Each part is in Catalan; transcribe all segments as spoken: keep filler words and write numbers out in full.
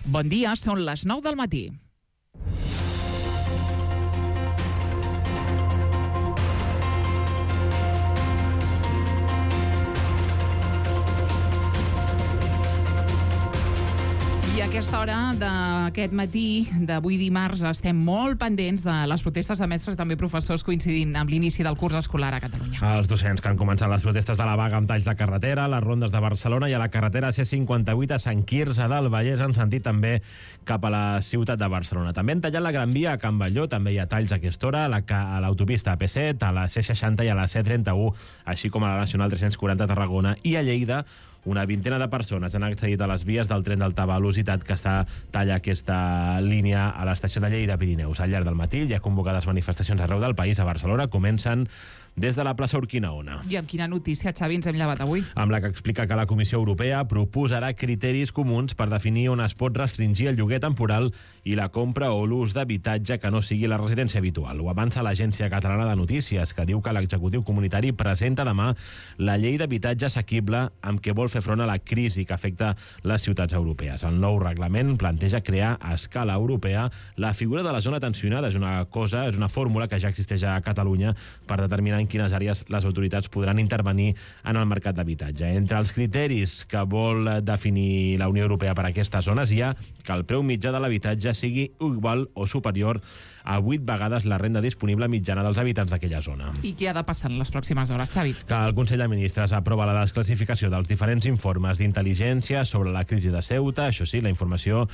Bon dia, són les nou del matí. I a aquesta hora d'aquest matí, d'avui dimarts, estem molt pendents de les protestes de mestres i també professors coincidint amb l'inici del curs escolar a Catalunya. Els docents que han començat les protestes de la vaga amb talls de carretera, les rondes de Barcelona i a la carretera C cinquanta-vuit a Sant Quirze del Vallès en sentit també cap a la ciutat de Barcelona. També han tallat la Gran Via a Can Batlló, també hi ha talls a aquesta hora, a l'autopista A P set, a la C seixanta i a la C trenta-u, així com a la Nacional tres-cents quaranta a Tarragona, i a Lleida una vintena de persones han accedit a les vies del tren d'alta velocitat que està talla aquesta línia a l'estació de Lleida Pirineus. Al llarg del matí hi ha convocades manifestacions arreu del país. A Barcelona comencen des de la plaça Urquinaona. I amb quina notícia, Xavi, ens hem llevat avui? Amb la que explica que la Comissió Europea proposarà criteris comuns per definir on es pot restringir el lloguer temporal i la compra o l'ús d'habitatge que no sigui la residència habitual. Ho avança l'Agència Catalana de Notícies, que diu que l'executiu comunitari presenta demà la llei d'habitatge assequible amb què vol fer front a la crisi que afecta les ciutats europees. El nou reglament planteja crear a escala europea la figura de la zona tensionada. És una cosa, és una fórmula que ja existeix a Catalunya per determinar en quines àrees les autoritats podran intervenir en el mercat d'habitatge. Entre els criteris que vol definir la Unió Europea per a aquestes zones hi ha que el preu mitjà de l'habitatge sigui igual o superior a vuit vegades la renda disponible mitjana dels habitants d'aquella zona. I què ha de passar en les pròximes hores, Xavi? Que el Consell de Ministres aprova la desclassificació dels diferents informes d'intel·ligència sobre la crisi de Ceuta. Això sí, la informació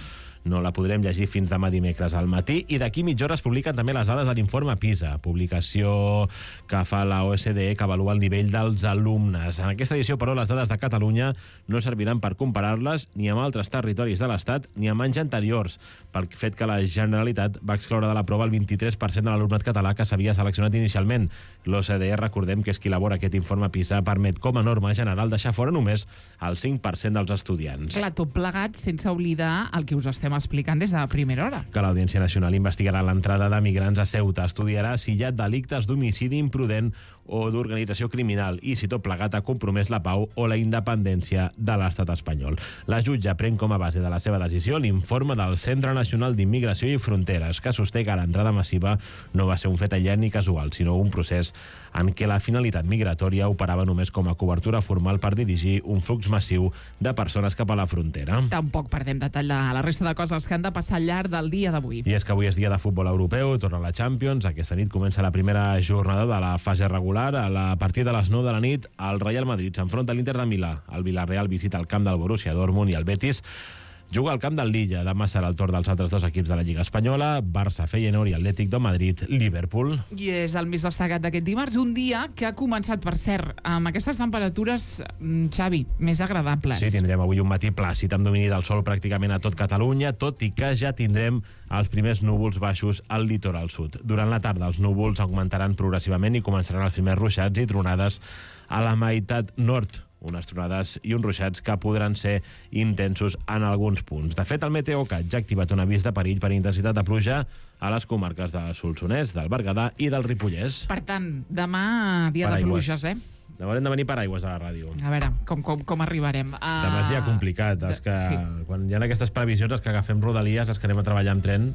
no la podrem llegir fins demà dimecres al matí, i d'aquí mitja hora es publiquen també les dades de l'informe PISA, publicació que fa la O S D E que avalua el nivell dels alumnes. En aquesta edició, però, les dades de Catalunya no serviran per comparar-les ni amb altres territoris de l'Estat ni amb anys anteriors, pel fet que la Generalitat va excloure de la prova el vint-i-tres per cent de l'alumnat català que s'havia seleccionat inicialment. L'O C D E, recordem que és qui elabora aquest informe PISA, permet com a norma general deixar fora només el cinc per cent dels estudiants. Clar, tot plegat sense oblidar el que us estem explicant des de la primera hora. Que l'Audiència Nacional investigarà l'entrada de migrants a Ceuta, estudiarà si hi ha delictes d'homicidi imprudent o d'organització criminal i si tot plegat ha compromès la pau o la independència de l'estat espanyol. La jutge pren com a base de la seva decisió l'informe del Centre Nacional d'Immigració i Fronteres, que sosté que l'entrada massiva no va ser un fet aïllat ni casual, sinó un procés en què la finalitat migratòria operava només com a cobertura formal per dirigir un flux massiu de persones cap a la frontera. Tampoc perdem detall de la resta de coses que han de passar al llarg del dia d'avui. I és que avui és dia de futbol europeu, torna la Champions. Aquesta nit comença la primera jornada de la fase regular. A la partir de les nou de la nit, el Real Madrid s'enfronta a l'Inter de Milà. El Villarreal visita el camp del Borussia Dortmund i el Betis juga al camp del Lilla. Demà serà el torn dels altres dos equips de la Lliga Espanyola, Barça, Feyenoord i Atlètic de Madrid, Liverpool. I és el més destacat d'aquest dimarts, un dia que ha començat, per cert, amb aquestes temperatures, Xavi, més agradables. Sí, tindrem avui un matí plàcid amb domini del sol pràcticament a tot Catalunya, tot i que ja tindrem els primers núvols baixos al litoral sud. Durant la tarda els núvols augmentaran progressivament i començaran els primers ruixats i tronades a la meitat nord. Unes tronades i uns ruixats que podran ser intensos en alguns punts. De fet, el Meteocat ja ha activat un avís de perill per intensitat de pluja a les comarques del Solsonès, del Berguedà i del Ripollès. Per tant, demà dia de pluges, eh? Demà haurem de venir paraigües a la ràdio. A veure, com, com, com arribarem? A... Demà és dia complicat. Els que, sí. Quan hi ha aquestes previsions, els que agafem rodalies, els que anem a treballar amb tren,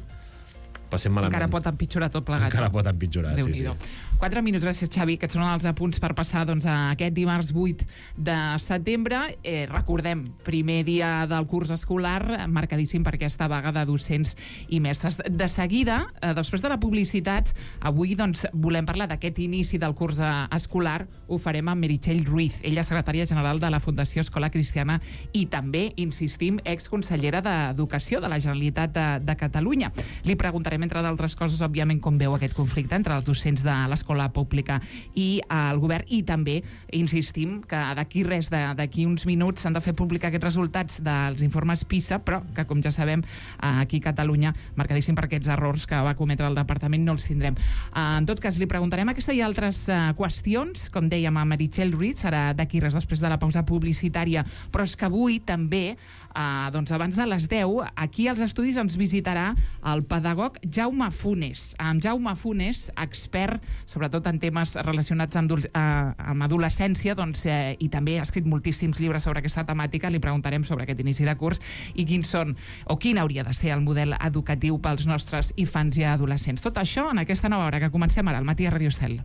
passem malament. Encara pot empitjorar tot plegat. Encara pot empitjorar, sí, sí. Quatre minuts, gràcies, Xavi, que són els apunts per passar doncs, a aquest dimarts vuit de setembre. Eh, recordem, primer dia del curs escolar, marcadíssim per aquesta vaga de docents i mestres. De seguida, eh, després de la publicitat, avui doncs, volem parlar d'aquest inici del curs escolar. Ho farem amb Meritxell Ruiz, ella és secretària general de la Fundació Escola Cristiana i també, insistim, exconsellera d'Educació de la Generalitat de, de Catalunya. Li preguntarem, entre d'altres coses, òbviament, com veu aquest conflicte entre els docents de l'escola pública i el govern, i també insistim que d'aquí res, d'aquí uns minuts s'han de fer públic aquests resultats dels informes PISA, però que, com ja sabem, aquí a Catalunya, marcadíssim per aquests errors que va cometre el departament, no els tindrem. En tot cas, li preguntarem aquesta i altres qüestions, com dèiem a Meritxell Ruiz, serà d'aquí res després de la pausa publicitària, però és que avui també uh, doncs abans de les deu, aquí als estudis ens visitarà el pedagog Jaume Funes. Amb Jaume Funes, expert sobretot en temes relacionats amb, uh, amb adolescència, doncs, eh, i també ha escrit moltíssims llibres sobre aquesta temàtica. Li preguntarem sobre aquest inici de curs i quins són, o quin hauria de ser el model educatiu pels nostres infants i adolescents. Tot això en aquesta nova hora que comencem ara al matí a Ràdio Estel.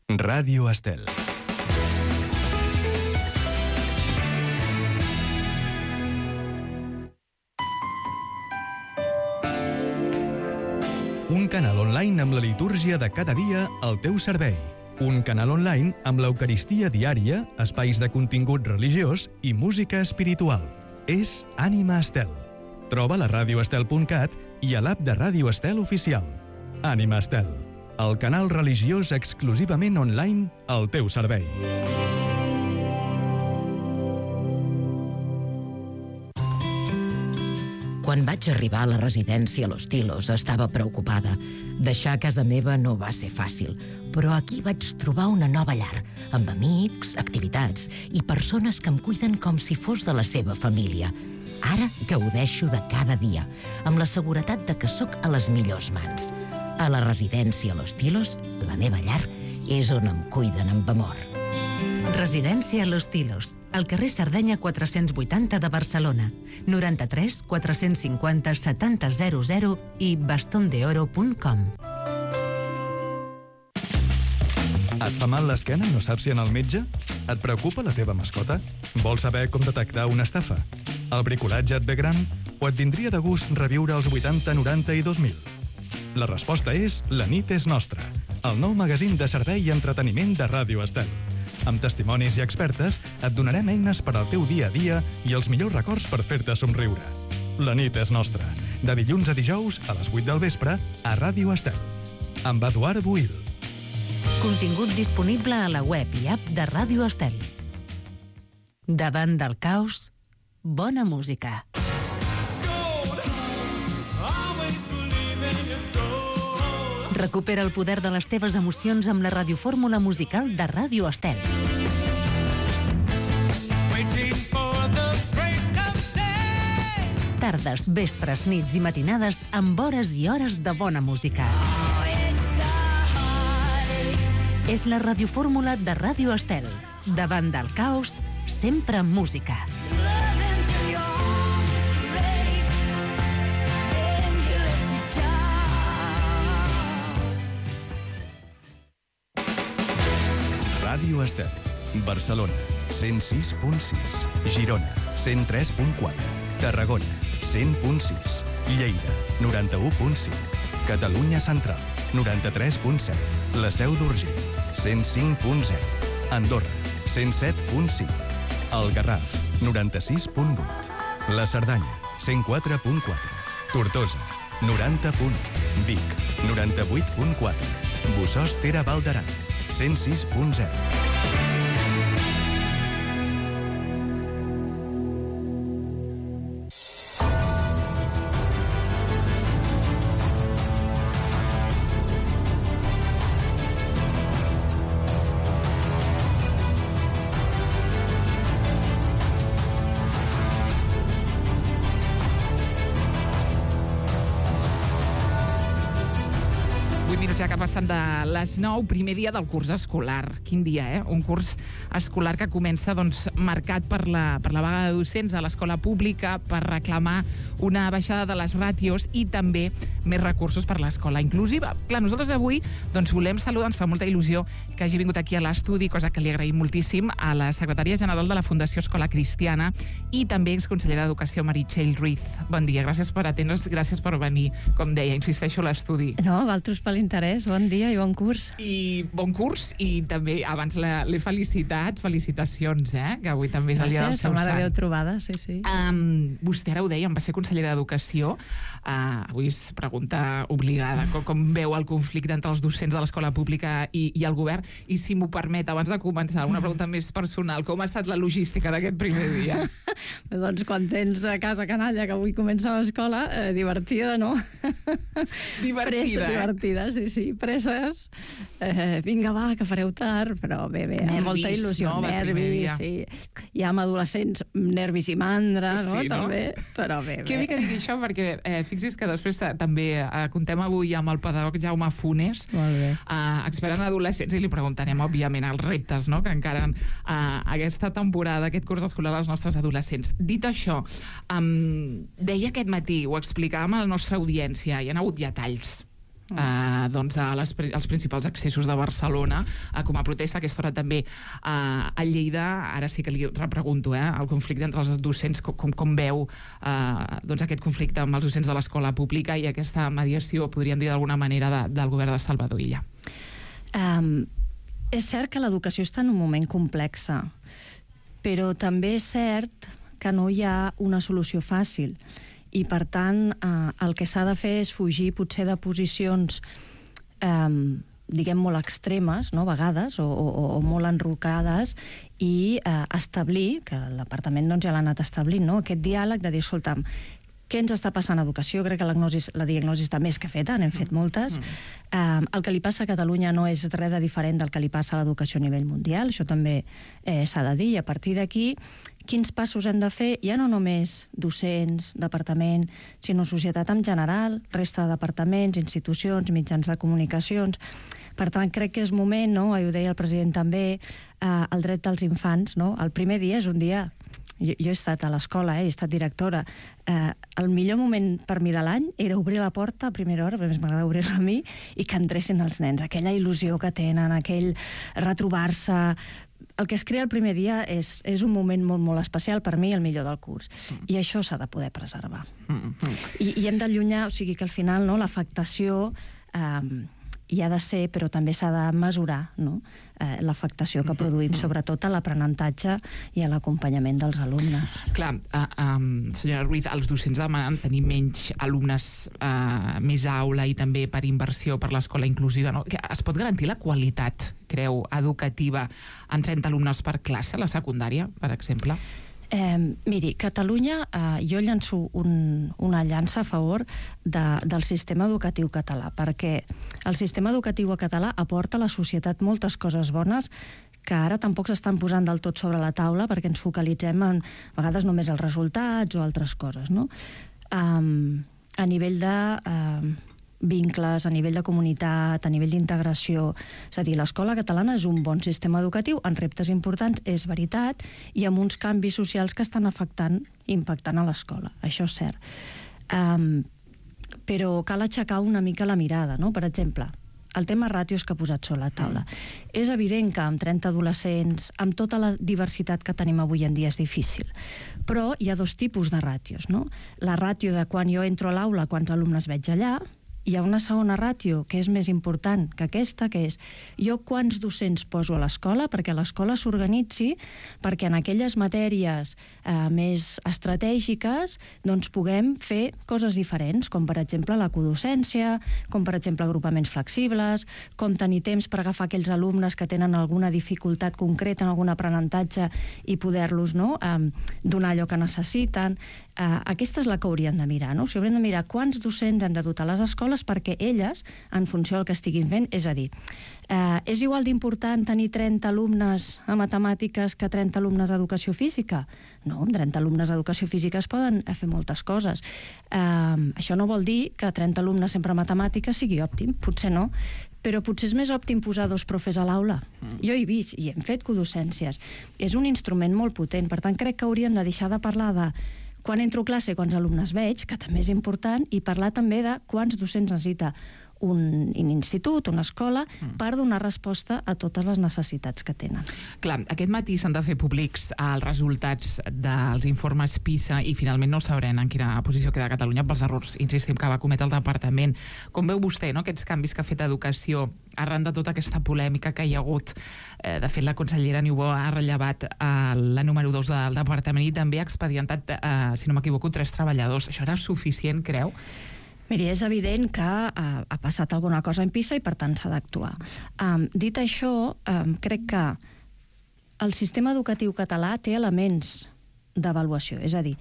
Ràdio Estel. Un canal online amb la litúrgia de cada dia al teu servei. Un canal online amb l'Eucaristia diària, espais de contingut religiós i música espiritual. És Ànima Estel. Troba-la a ràdio estel punt cat i a l'app de Ràdio Estel oficial. Ànima Estel, el canal religiós exclusivament online al teu servei. Quan vaig arribar a la residència Los Tilos estava preocupada. Deixar casa meva no va ser fàcil, però aquí vaig trobar una nova llar, amb amics, activitats i persones que em cuiden com si fos de la seva família. Ara gaudeixo de cada dia, amb la seguretat de que sóc a les millors mans. A la residència Los Tilos, la meva llar, és on em cuiden amb amor. Residència Los Tilos, al carrer Sardenya quatre-cents vuitanta de Barcelona, noranta-tres quatre-cents cinquanta setanta zero zero i bastondeoro punt com. Et fa mal l'esquena i no saps si anar al metge? Et preocupa la teva mascota? Vols saber com detectar una estafa? El bricolatge et ve gran? O et vindria de gust reviure els vuitanta, noranta i dos mil? La resposta és La nit és nostra, el nou magazín de servei i entreteniment de Ràdio Estel. Amb testimonis i expertes et donarem eines per al teu dia a dia i els millors records per fer-te somriure. La nit és nostra, de dilluns a dijous a les vuit del vespre a Ràdio Estel. Amb Eduard Buil. Contingut disponible a la web i app de Ràdio Estel. Davant del caos, bona música. Recupera el poder de les teves emocions amb la radiofórmula musical de Ràdio Estel. Tardes, vespres, nits i matinades amb hores i hores de bona música. És la radiofórmula de Ràdio Estel. Davant del caos, sempre amb música. Ràdio Estel. Barcelona, cent sis punt sis. Girona, cent tres punt quatre. Tarragona, cent punt sis. Lleida, noranta-u punt cinc. Catalunya Central, noranta-tres punt set. La Seu d'Urgell, cent cinc punt zero. Andorra, cent set punt cinc. El Garraf, noranta-sis punt vuit. La Cerdanya, cent quatre punt quatre. Tortosa, noranta punt u. Vic, noranta-vuit punt quatre. Bossòst Ter Val d'Aran, cent sis punt zero. Ja que passen de les nou, primer dia del curs escolar. Quin dia, eh? Un curs escolar que comença doncs, marcat per la, per la vaga de docents a l'escola pública, per reclamar una baixada de les ràtios i també més recursos per l'escola inclusiva. Clar, nosaltres avui doncs, volem saludar, ens fa molta il·lusió que hagi vingut aquí a l'estudi, cosa que li agraïm moltíssim, a la secretària general de la Fundació Escola Cristiana i també exconsellera d'Educació, Meritxell Ruiz. Bon dia, gràcies per atendre'ns, gràcies per venir, com deia, insisteixo, a l'estudi. No, a vosaltres per l'interès. Bon dia i bon curs. I bon curs, i també abans l'he felicitat, felicitacions, eh? Que avui també és el dia del seu sant. Gràcies, Mare Déu trobada, sí, sí. Um, vostè ara ho deia, em va ser consellera d'Educació. Uh, avui és pregunta obligada. Com, com veu el conflicte entre els docents de l'escola pública i, i el govern? I si m'ho permet, abans de començar, una pregunta més personal. Com ha estat la logística d'aquest primer dia? Doncs quan tens a casa canalla, que avui comença l'escola, eh, divertida, no? Divertida, Pressa, eh? divertida, sí, sí. sí, presses. Eh, vinga, va, que fareu tard, però bé, bé, Nervis, amb molta il·lusió. no, del primer dia. Nervis, sí. Ja amb adolescents, nervis i mandra, no? Sí, no? També, però bé, bé. Que bé que digui això, perquè eh, fixi's que després també eh, contem avui amb el pedagog Jaume Funes, Molt bé. eh, expert en adolescents, i li preguntarem, òbviament, els reptes, no?, que encara eh, aquesta temporada, aquest curs escolar als nostres adolescents. Dit això, um, deia aquest matí, ho explicàvem a la nostra audiència, hi ha hagut ja talls Uh, doncs a les, als principals accessos de Barcelona uh, com a protesta. A aquesta hora també uh, a Lleida, ara sí que li repregunto eh, el conflicte entre els docents, com, com, com veu uh, doncs aquest conflicte amb els docents de l'escola pública i aquesta mediació, podríem dir d'alguna manera, de, del govern de Salvador Illa. Um, és cert que l'educació està en un moment complex, però també és cert que no hi ha una solució fàcil. I, per tant, eh, el que s'ha de fer és fugir potser de posicions eh, diguem molt extremes, no?, a vegades, o, o, o molt enrocades, i eh, establir, que el departament doncs, ja l'ha anat establint, no?, aquest diàleg de dir, escolta'm, què ens està passant a educació? Crec que la, gnosi, la diagnosi està més que feta, n'hem fet moltes. Mm. Eh, el que li passa a Catalunya no és res de diferent del que li passa a l'educació a nivell mundial, això també eh, s'ha de dir, i a partir d'aquí quins passos hem de fer, ja no només docents, departament, sinó societat en general, resta de departaments, institucions, mitjans de comunicacions. Per tant, crec que és moment, no?, ho deia el president també, eh, el dret dels infants, no? El primer dia és un dia. Jo, jo he estat a l'escola, eh, he estat directora. Eh, el millor moment per mi de l'any era obrir la porta a primera hora, perquè m'agrada obrir-la a mi, i que entressin els nens. Aquella il·lusió que tenen, aquell retrobar-se. El que es crea el primer dia és, és un moment molt, molt especial, per mi, el millor del curs. Mm. I això s'ha de poder preservar. Mm -hmm. I, I hem d'allunyar, o sigui que al final, no, l'afectació eh, hi ha de ser, però també s'ha de mesurar, no?, eh, l'afectació que produïm, sobretot a l'aprenentatge i a l'acompanyament dels alumnes. Clar, uh, um, senyora Ruiz, els docents demanen tenir menys alumnes, uh, més aula i també per inversió per l'escola inclusiva, no? Es pot garantir la qualitat, creu, educativa en trenta alumnes per classe a la secundària, per exemple? Eh, miri, Catalunya, eh, jo llanço un, una llança a favor de, del sistema educatiu català, perquè el sistema educatiu català aporta a la societat moltes coses bones que ara tampoc s'estan posant del tot sobre la taula perquè ens focalitzem en, a vegades, només els resultats o altres coses, no? Um, a nivell de uh, vincles, a nivell de comunitat, a nivell d'integració. És a dir, l'escola catalana és un bon sistema educatiu, en reptes importants, és veritat, i amb uns canvis socials que estan afectant, impactant a l'escola. Això és cert. Um, però cal aixecar una mica la mirada, no? Per exemple, el tema ràtios que ha posat sobre la taula. Mm. És evident que amb trenta adolescents, amb tota la diversitat que tenim avui en dia, és difícil. Però hi ha dos tipus de ràtios, no? La ràtio de quan jo entro a l'aula, quants alumnes veig allà, hi ha una segona ràtio que és més important que aquesta, que és jo quants docents poso a l'escola perquè l'escola s'organitzi perquè en aquelles matèries eh, més estratègiques doncs puguem fer coses diferents, com per exemple la codocència, com per exemple agrupaments flexibles, com tenir temps per agafar aquells alumnes que tenen alguna dificultat concreta en algun aprenentatge i poder-los, no, eh, donar allò que necessiten. Eh, aquesta és la que hauríem de mirar, no? O sigui, hauríem de mirar quants docents hem de dotar a les escoles perquè elles, en funció del que estiguin fent, és a dir, eh, és igual d'important tenir trenta alumnes a matemàtiques que trenta alumnes a educació física? No, amb trenta alumnes a educació física es poden fer moltes coses. Eh, això no vol dir que trenta alumnes sempre a matemàtiques sigui òptim, potser no, però potser és més òptim posar dos profes a l'aula. Mm. Jo he vist i hem fet codocències. És un instrument molt potent, per tant crec que hauríem de deixar de parlar de quan entro a classe, quants alumnes veig, que també és important, i parlar també de quants docents necessita un, un institut, una escola, mm. per donar resposta a totes les necessitats que tenen. Clar, aquest matí s'han de fer públics els resultats dels informes PISA i finalment no sabrem en quina posició queda Catalunya pels errors, insistim, que va cometre el departament. Com veu vostè, no?, aquests canvis que ha fet Educació arran de tota aquesta polèmica que hi ha hagut? Eh, de fet, la consellera Niubó ha rellevat eh, la número dos del departament i també ha expedientat, eh, si no m'equivoco, tres treballadors. Això era suficient, creu? Miri, és evident que uh, ha passat alguna cosa en PISA i per tant s'ha d'actuar. Um, dit això, um, crec que el sistema educatiu català té elements d'avaluació. És a dir,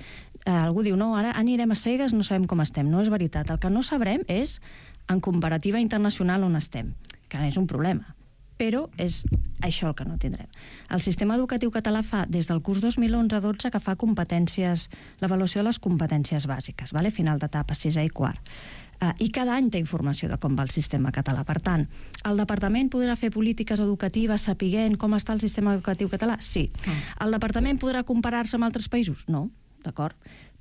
uh, algú diu, no, ara anirem a cegues, no sabem com estem. No és veritat. El que no sabrem és en comparativa internacional on estem, que és un problema. Però és això el que no tindrem. El sistema educatiu català fa, des del curs dos mil onze dotze, que fa competències, l'avaluació de les competències bàsiques, vale? Final d'etapa sisè i quart. Uh, I cada any té informació de com va el sistema català. Per tant, el departament podrà fer polítiques educatives sapiguent com està el sistema educatiu català? Sí. Mm. El departament podrà comparar-se amb altres països? No, d'acord.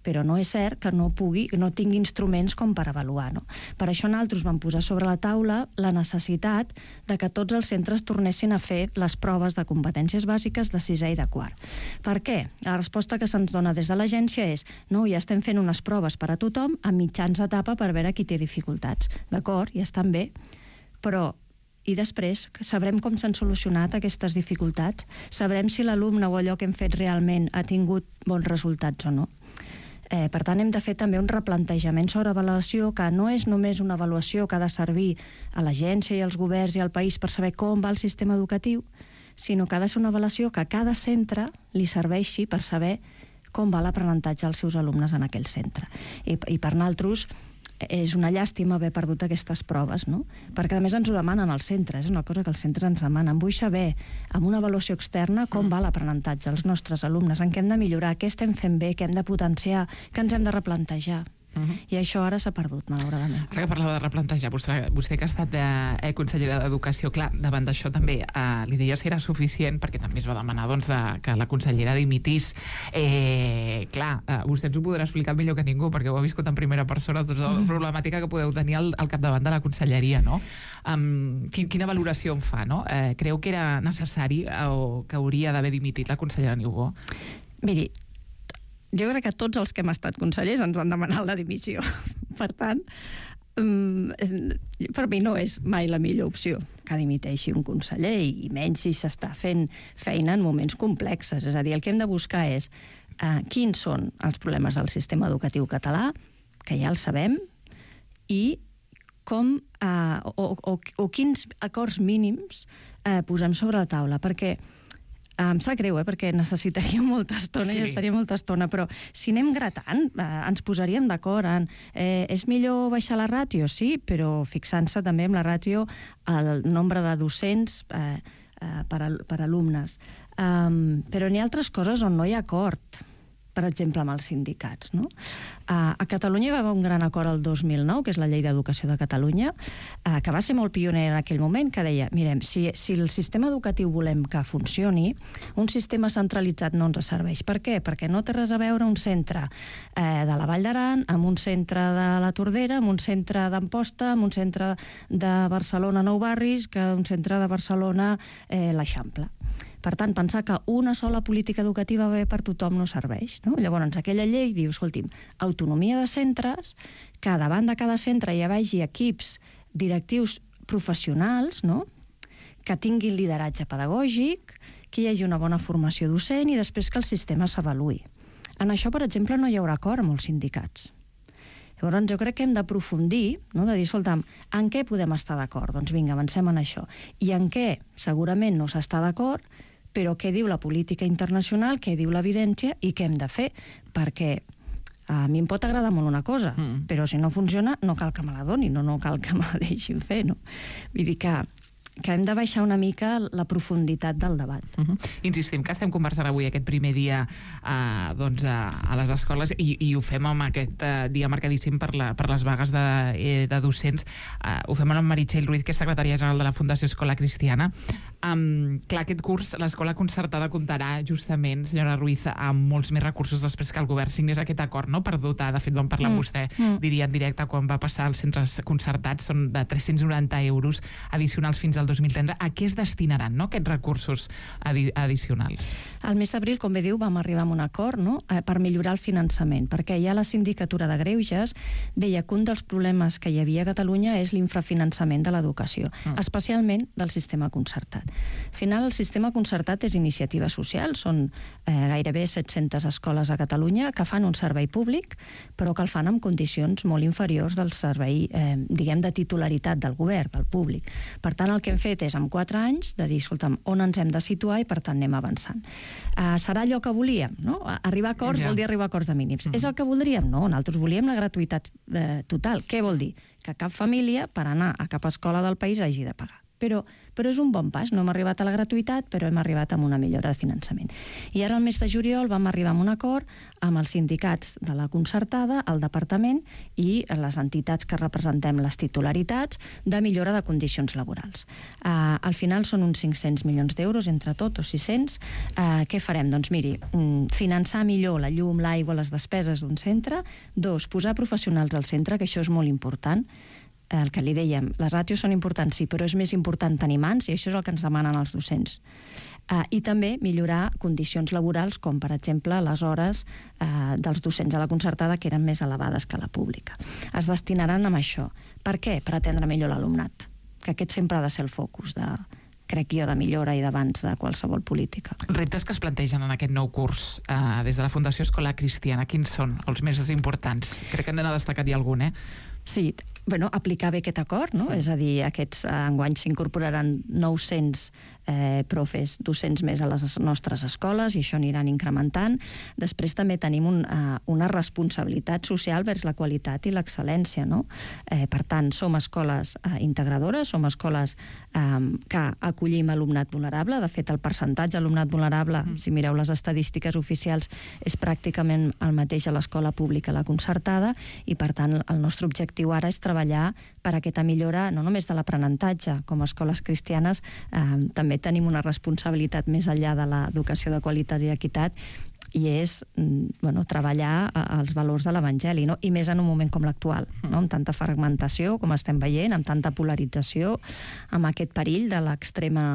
Però no és cert que no pugui, que no tingui instruments com per avaluar, no? Per això nosaltres vam posar sobre la taula la necessitat de que tots els centres tornessin a fer les proves de competències bàsiques de sisè i de quart. Per què? La resposta que se'ns dona des de l'agència és no, ja estem fent unes proves per a tothom a mitjans d'etapa per veure qui té dificultats. D'acord, ja estan bé, però i després sabrem com s'han solucionat aquestes dificultats? Sabrem si l'alumne o allò que hem fet realment ha tingut bons resultats o no? Eh, per tant, hem de fer també un replantejament sobre avaluació, que no és només una avaluació que ha de servir a l'agència i als governs i al país per saber com va el sistema educatiu, sinó que ha de ser una avaluació que a cada centre li serveixi per saber com va l'aprenentatge dels seus alumnes en aquell centre. I, i per nosaltres és una llàstima haver perdut aquestes proves, no? Perquè a més ens ho demanen als centres, és una cosa que els centres ens demanen. Vull saber, amb una avaluació externa, com va l'aprenentatge dels nostres alumnes, en què hem de millorar, què estem fent bé, què hem de potenciar, què ens hem de replantejar. Uh-huh. I això ara s'ha perdut, malauradament. Ara que parlava de replantejar, vostè, vostè que ha estat eh, consellera d'Educació, clar, davant d'això també eh, li deia si era suficient, perquè també es va demanar doncs, de, que la consellera dimitís. Eh, clar, eh, vostè ens ho podrà explicar millor que ningú, perquè ho ha viscut en primera persona, tota la problemàtica que podeu tenir al, al capdavant de la conselleria, no? Um, quin, quina valoració en fa, no? Eh, creu que era necessari eh, o que hauria d'haver dimitit la consellera Niubó? Miri, jo crec que tots els que hem estat consellers ens han demanat la dimissió. Per tant, per mi no és mai la millor opció que dimiteixi un conseller, i menys si s'està fent feina en moments complexes. És a dir, el que hem de buscar és uh, quins són els problemes del sistema educatiu català, que ja els sabem, i com, uh, o, o, o quins acords mínims uh, posem sobre la taula, perquè em sap greu, eh, perquè necessitaria molta estona sí. i estaria molta estona, però si anem gratant, eh, ens posaríem d'acord en eh, és millor baixar la ràtio, sí, però fixant-se també en la ràtio el nombre de docents eh, eh, per, al, per alumnes. Um, però n'hi ha altres coses on no hi ha acord, per exemple, amb els sindicats, no? Uh, a Catalunya hi va haver un gran acord el dos mil nou, que és la Llei d'Educació de Catalunya, uh, que va ser molt pionera en aquell moment, que deia, mirem, si, si el sistema educatiu volem que funcioni, un sistema centralitzat no ens serveix. Per què? Perquè no té res a veure un centre eh, de la Vall d'Aran amb un centre de la Tordera, amb un centre d'Amposta, amb un centre de Barcelona Nou Barris, que un centre de Barcelona eh, l'Eixample. Per tant, pensar que una sola política educativa bé per tothom no serveix, no? Llavors, aquella llei diu, escolti'm, autonomia de centres, que davant de cada centre hi vagi equips directius professionals, no? Que tinguin lideratge pedagògic, que hi hagi una bona formació docent i després que el sistema s'avaluï. En això, per exemple, no hi haurà acord amb els sindicats. Llavors, jo crec que hem d'aprofundir, no? De dir, escolta'm, en què podem estar d'acord? Doncs vinga, avancem en això. I en què segurament no s'està d'acord, però què diu la política internacional, què diu l'evidència i què hem de fer? Perquè a mi em pot agradar molt una cosa, mm. però si no funciona no cal que me la donin, no, no cal que me la deixin fer, no? Vull dir que que hem de baixar una mica la profunditat del debat. Uh-huh. Insistim que estem conversant avui aquest primer dia uh, doncs, uh, a les escoles i, i ho fem amb aquest uh, dia marcadíssim per, la, per les vagues de, eh, de docents. Uh, ho fem amb Meritxell Ruiz, que és secretària general de la Fundació Escola Cristiana. Um, clar, aquest curs l'escola concertada comptarà justament, senyora Ruiz, amb molts més recursos després que el govern signés aquest acord, no?, per dotar. De fet, vam parlar amb mm. vostè, mm. diria en directe, quan va passar als centres concertats, són de tres-cents noranta euros addicionals fins al dos mil trenta. A què es destinaran, no?, aquests recursos adi addicionals? Al mes d'abril, com bé diu, vam arribar a un acord, no?, eh, per millorar el finançament, perquè ja la Sindicatura de Greuges deia que un dels problemes que hi havia a Catalunya és l'infrafinançament de l'educació, mm. especialment del sistema concertat. Al final, el sistema concertat és iniciativa social, són eh, gairebé set-centes escoles a Catalunya que fan un servei públic, però que el fan en condicions molt inferiors del servei, eh, diguem, de titularitat del govern, del públic. Per tant, el que que hem fet és, en quatre anys, de dir, escolta'm, on ens hem de situar i, per tant, anem avançant. Uh, serà allò que volíem, no? Arribar a acords ja. vol dir arribar a acords de mínims. Mm-hmm. És el que voldríem? No, nosaltres volíem la gratuïtat eh, total. Què vol dir? Que cap família, per anar a cap escola del país, hagi de pagar. Però, però és un bon pas. No hem arribat a la gratuïtat, però hem arribat amb una millora de finançament. I ara, el mes de juliol, vam arribar a un acord amb els sindicats de la concertada, el departament i les entitats que representem les titularitats de millora de condicions laborals. Uh, al final són uns cinc-cents milions d'euros, entre tot, o sis-cents. Uh, què farem? Doncs miri, finançar millor la llum, l'aigua, les despeses d'un centre. Dos, posar professionals al centre, que això és molt important. El que li dèiem, les ràtios són importants, sí, però és més important tenir mans, i això és el que ens demanen els docents. Uh, I també millorar condicions laborals, com per exemple les hores uh, dels docents a la concertada, que eren més elevades que a la pública. Es destinaran a això. Per què? Per atendre millor l'alumnat, que aquest sempre ha de ser el focus de, crec jo, de millora i d'abans de qualsevol política. Reptes que es plantegen en aquest nou curs uh, des de la Fundació Escola Cristiana, quins són els més importants? Crec que n'ha destacat ja algun, eh? Sí, bueno, aplicar bé aquest acord, no? Sí. És a dir, aquests eh, enguany s'incorporaran nou-cents eh, profes, docents més a les nostres escoles, i això aniran incrementant. Després també tenim un, eh, una responsabilitat social vers la qualitat i l'excel·lència, no? Eh, per tant, som escoles eh, integradores, som escoles eh, que acollim alumnat vulnerable. De fet, el percentatge d'alumnat vulnerable, mm. si mireu les estadístiques oficials, és pràcticament el mateix a l'escola pública, a la concertada, i per tant el nostre objectiu ara és treballar per aquesta millora no només de l'aprenentatge. Com a escoles cristianes eh, també tenim una responsabilitat més enllà de l'educació de qualitat i equitat, i és bueno, treballar els valors de l'Evangeli, no? I més en un moment com l'actual, no? Amb tanta fragmentació, com estem veient, amb tanta polarització, amb aquest perill de l'extrema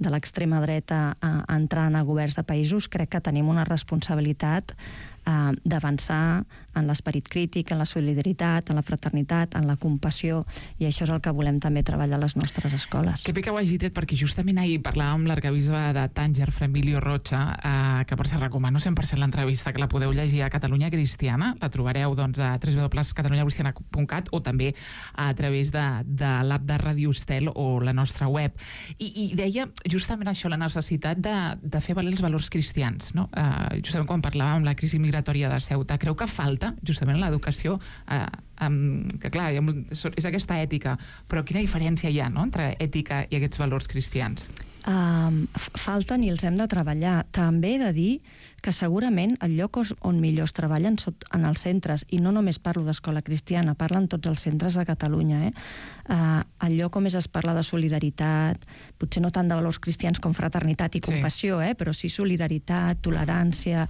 de l'extrema dreta a, a entrant a governs de països. Crec que tenim una responsabilitat eh, d'avançar en l'esperit crític, en la solidaritat, en la fraternitat, en la compassió, i això és el que volem també treballar a les nostres escoles. Que bé que ho hagi dit, perquè justament ahir parlàvem amb l'arquebisbe de Tànger, Fra Emilio Rocha, eh, que per cert recomano cent per cent l'entrevista, que la podeu llegir a Catalunya Cristiana, la trobareu doncs, a w w w punt catalunya cristiana punt cat o també a través de, de l'app de Ràdio Estel o la nostra web. I, i deia justament això, la necessitat de, de fer valer els valors cristians, no? Eh, justament quan parlàvem de la crisi migratòria de Ceuta, creu que falta justament en l'educació, eh, um, que clar, és aquesta ètica, però quina diferència hi ha, no?, entre ètica i aquests valors cristians? Um, falten i els hem de treballar. També he de dir que segurament el lloc on millor es treballen en els centres, i no només parlo d'escola cristiana, parlen tots els centres de Catalunya, eh? Uh, el lloc on més es parla de solidaritat, potser no tant de valors cristians com fraternitat i compassió, eh? Però sí solidaritat, tolerància,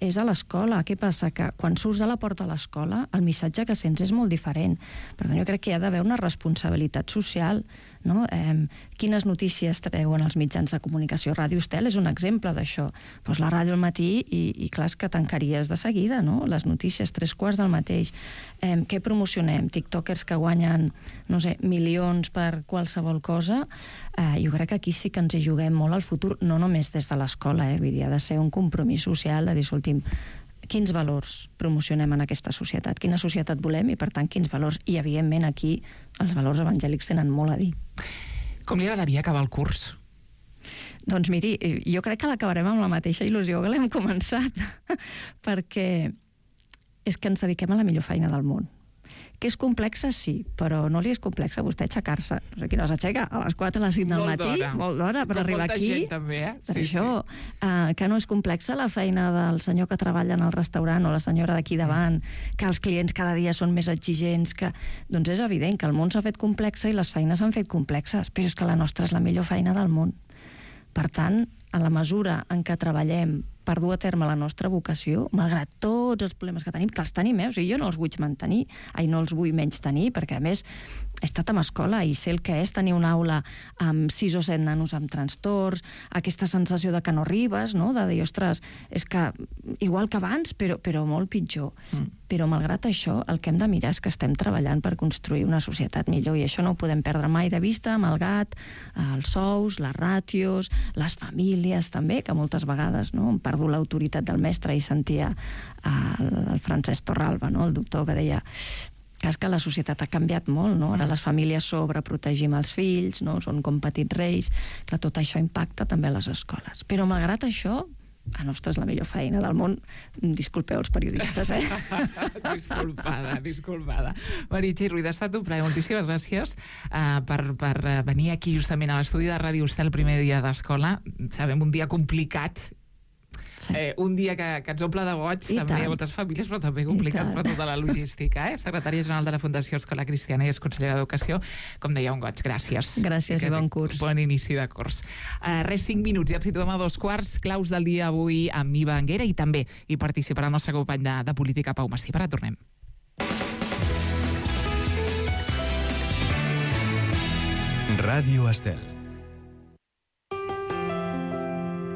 és a l'escola. Què passa? Que quan surts de la porta de l'escola, el missatge que sents és molt diferent. Per tant, jo crec que hi ha d'haver una responsabilitat social, no? Eh, quines notícies treuen els mitjans de comunicació? Ràdio Estel és un exemple d'això. Pues la ràdio al matí i, i clar, és que tancaries de seguida, no? Les notícies, tres quarts del mateix. Eh, què promocionem? TikTokers que guanyen, no sé, milions per qualsevol cosa. Eh, jo crec que aquí sí que ens hi juguem molt al futur, no només des de l'escola, eh? Vull dir, ha de ser un compromís social de dir, escolti'm, quins valors promocionem en aquesta societat, quina societat volem i, per tant, quins valors. I, evidentment, aquí els valors evangèlics tenen molt a dir. Com li agradaria acabar el curs? Doncs miri, jo crec que l'acabarem amb la mateixa il·lusió que l'hem començat, perquè és que ens dediquem a la millor feina del món. Que és complexa, sí, però no li és complexa a vostè aixecar-se. No sé qui no s'aixeca a les quatre, a les cinc del matí, molt d'hora, per arribar aquí. Gent, també, eh? Per sí, això, sí. Uh, que no és complexa la feina del senyor que treballa en el restaurant o la senyora d'aquí davant, que els clients cada dia són més exigents, que... Doncs és evident que el món s'ha fet complexa i les feines s'han fet complexes, però és que la nostra és la millor feina del món. Per tant, en la mesura en què treballem per dur a terme la nostra vocació, malgrat tots els problemes que tenim, que els tenim, eh? O sigui, jo no els vull mantenir, ai, no els vull menys tenir, perquè a més he estat en escola i sé el que és tenir una aula amb sis o set nanos amb trastorns, aquesta sensació de que no arribes, no? De dir, ostres, és que igual que abans, però, però molt pitjor. Mm. Però malgrat això, el que hem de mirar és que estem treballant per construir una societat millor, i això no ho podem perdre mai de vista, malgrat els sous, les ràtios, les famílies també, que moltes vegades, no?, em perdo l'autoritat del mestre i sentia el, el Francesc Torralba, no?, el doctor, que deia Clar, és que la societat ha canviat molt, no? Ara les famílies sobreprotegim els fills, no? Són com petits reis. Clar, tot això impacta també a les escoles. Però malgrat això, la nostra és la millor feina del món. Disculpeu els periodistes, eh? disculpada, disculpada. Meritxell Ruiz, ha estat un plaer. Moltíssimes gràcies uh, per, per venir aquí justament a l'estudi de Ràdio Estel el primer dia d'escola. Sabem, un dia complicat. Sí. Eh, un dia que, que ens omple de goig, I també tant. A moltes famílies, però també complicat per tota la logística. Eh? Secretària General de la Fundació Escola Cristiana i és consellera d'Educació. Com deia, un goig. Gràcies. Gràcies i bon curs. Bon inici de curs. Uh, res, cinc minuts i ens situem a dos quarts. Claus del dia avui amb Iva Anguera i també hi participarà el nostre company de, de política, Pau Massip. Ara tornem. Ràdio Estel.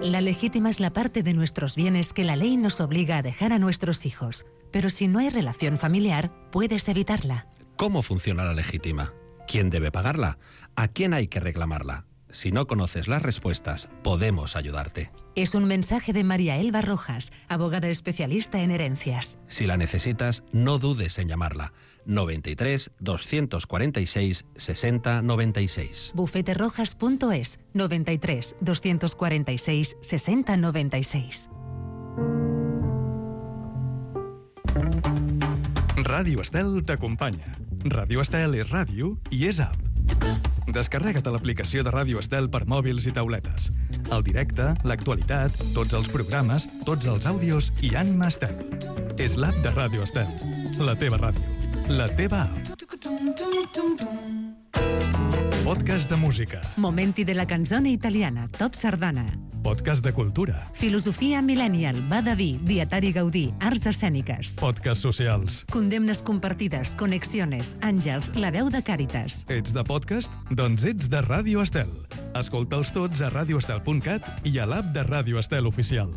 La legítima es la parte de nuestros bienes que la ley nos obliga a dejar a nuestros hijos. Pero si no hay relación familiar, puedes evitarla. ¿Cómo funciona la legítima? ¿Quién debe pagarla? ¿A quién hay que reclamarla? Si no conoces las respuestas, podemos ayudarte. Es un mensaje de María Elba Rojas, abogada especialista en herencias. Si la necesitas, no dudes en llamarla. noventa y tres, doscientos cuarenta y seis, sesenta, noventa y seis. bufeterojas punto es, noventa y tres, doscientos cuarenta y seis, sesenta, noventa y seis. Ràdio Estel t'acompanya. Ràdio Estel és ràdio i és app. Descarrega't l'aplicació de Ràdio Estel per mòbils i tauletes. El directe, l'actualitat, tots els programes, tots els àudios i Ànima Estel. És l'app de Ràdio Estel. La teva ràdio. La teva app. Podcast de música. Momenti de la canzone italiana, Top Sardana. Podcast de cultura. Filosofia millennial, Badaví, Dietari Gaudí, arts escèniques. Podcast socials. Condemnes compartides, conexiones, àngels, la veu de Càritas. Ets de podcast? Doncs ets de Ràdio Estel. Escolta'ls tots a radioestel punt cat i a l'app de Ràdio Estel oficial.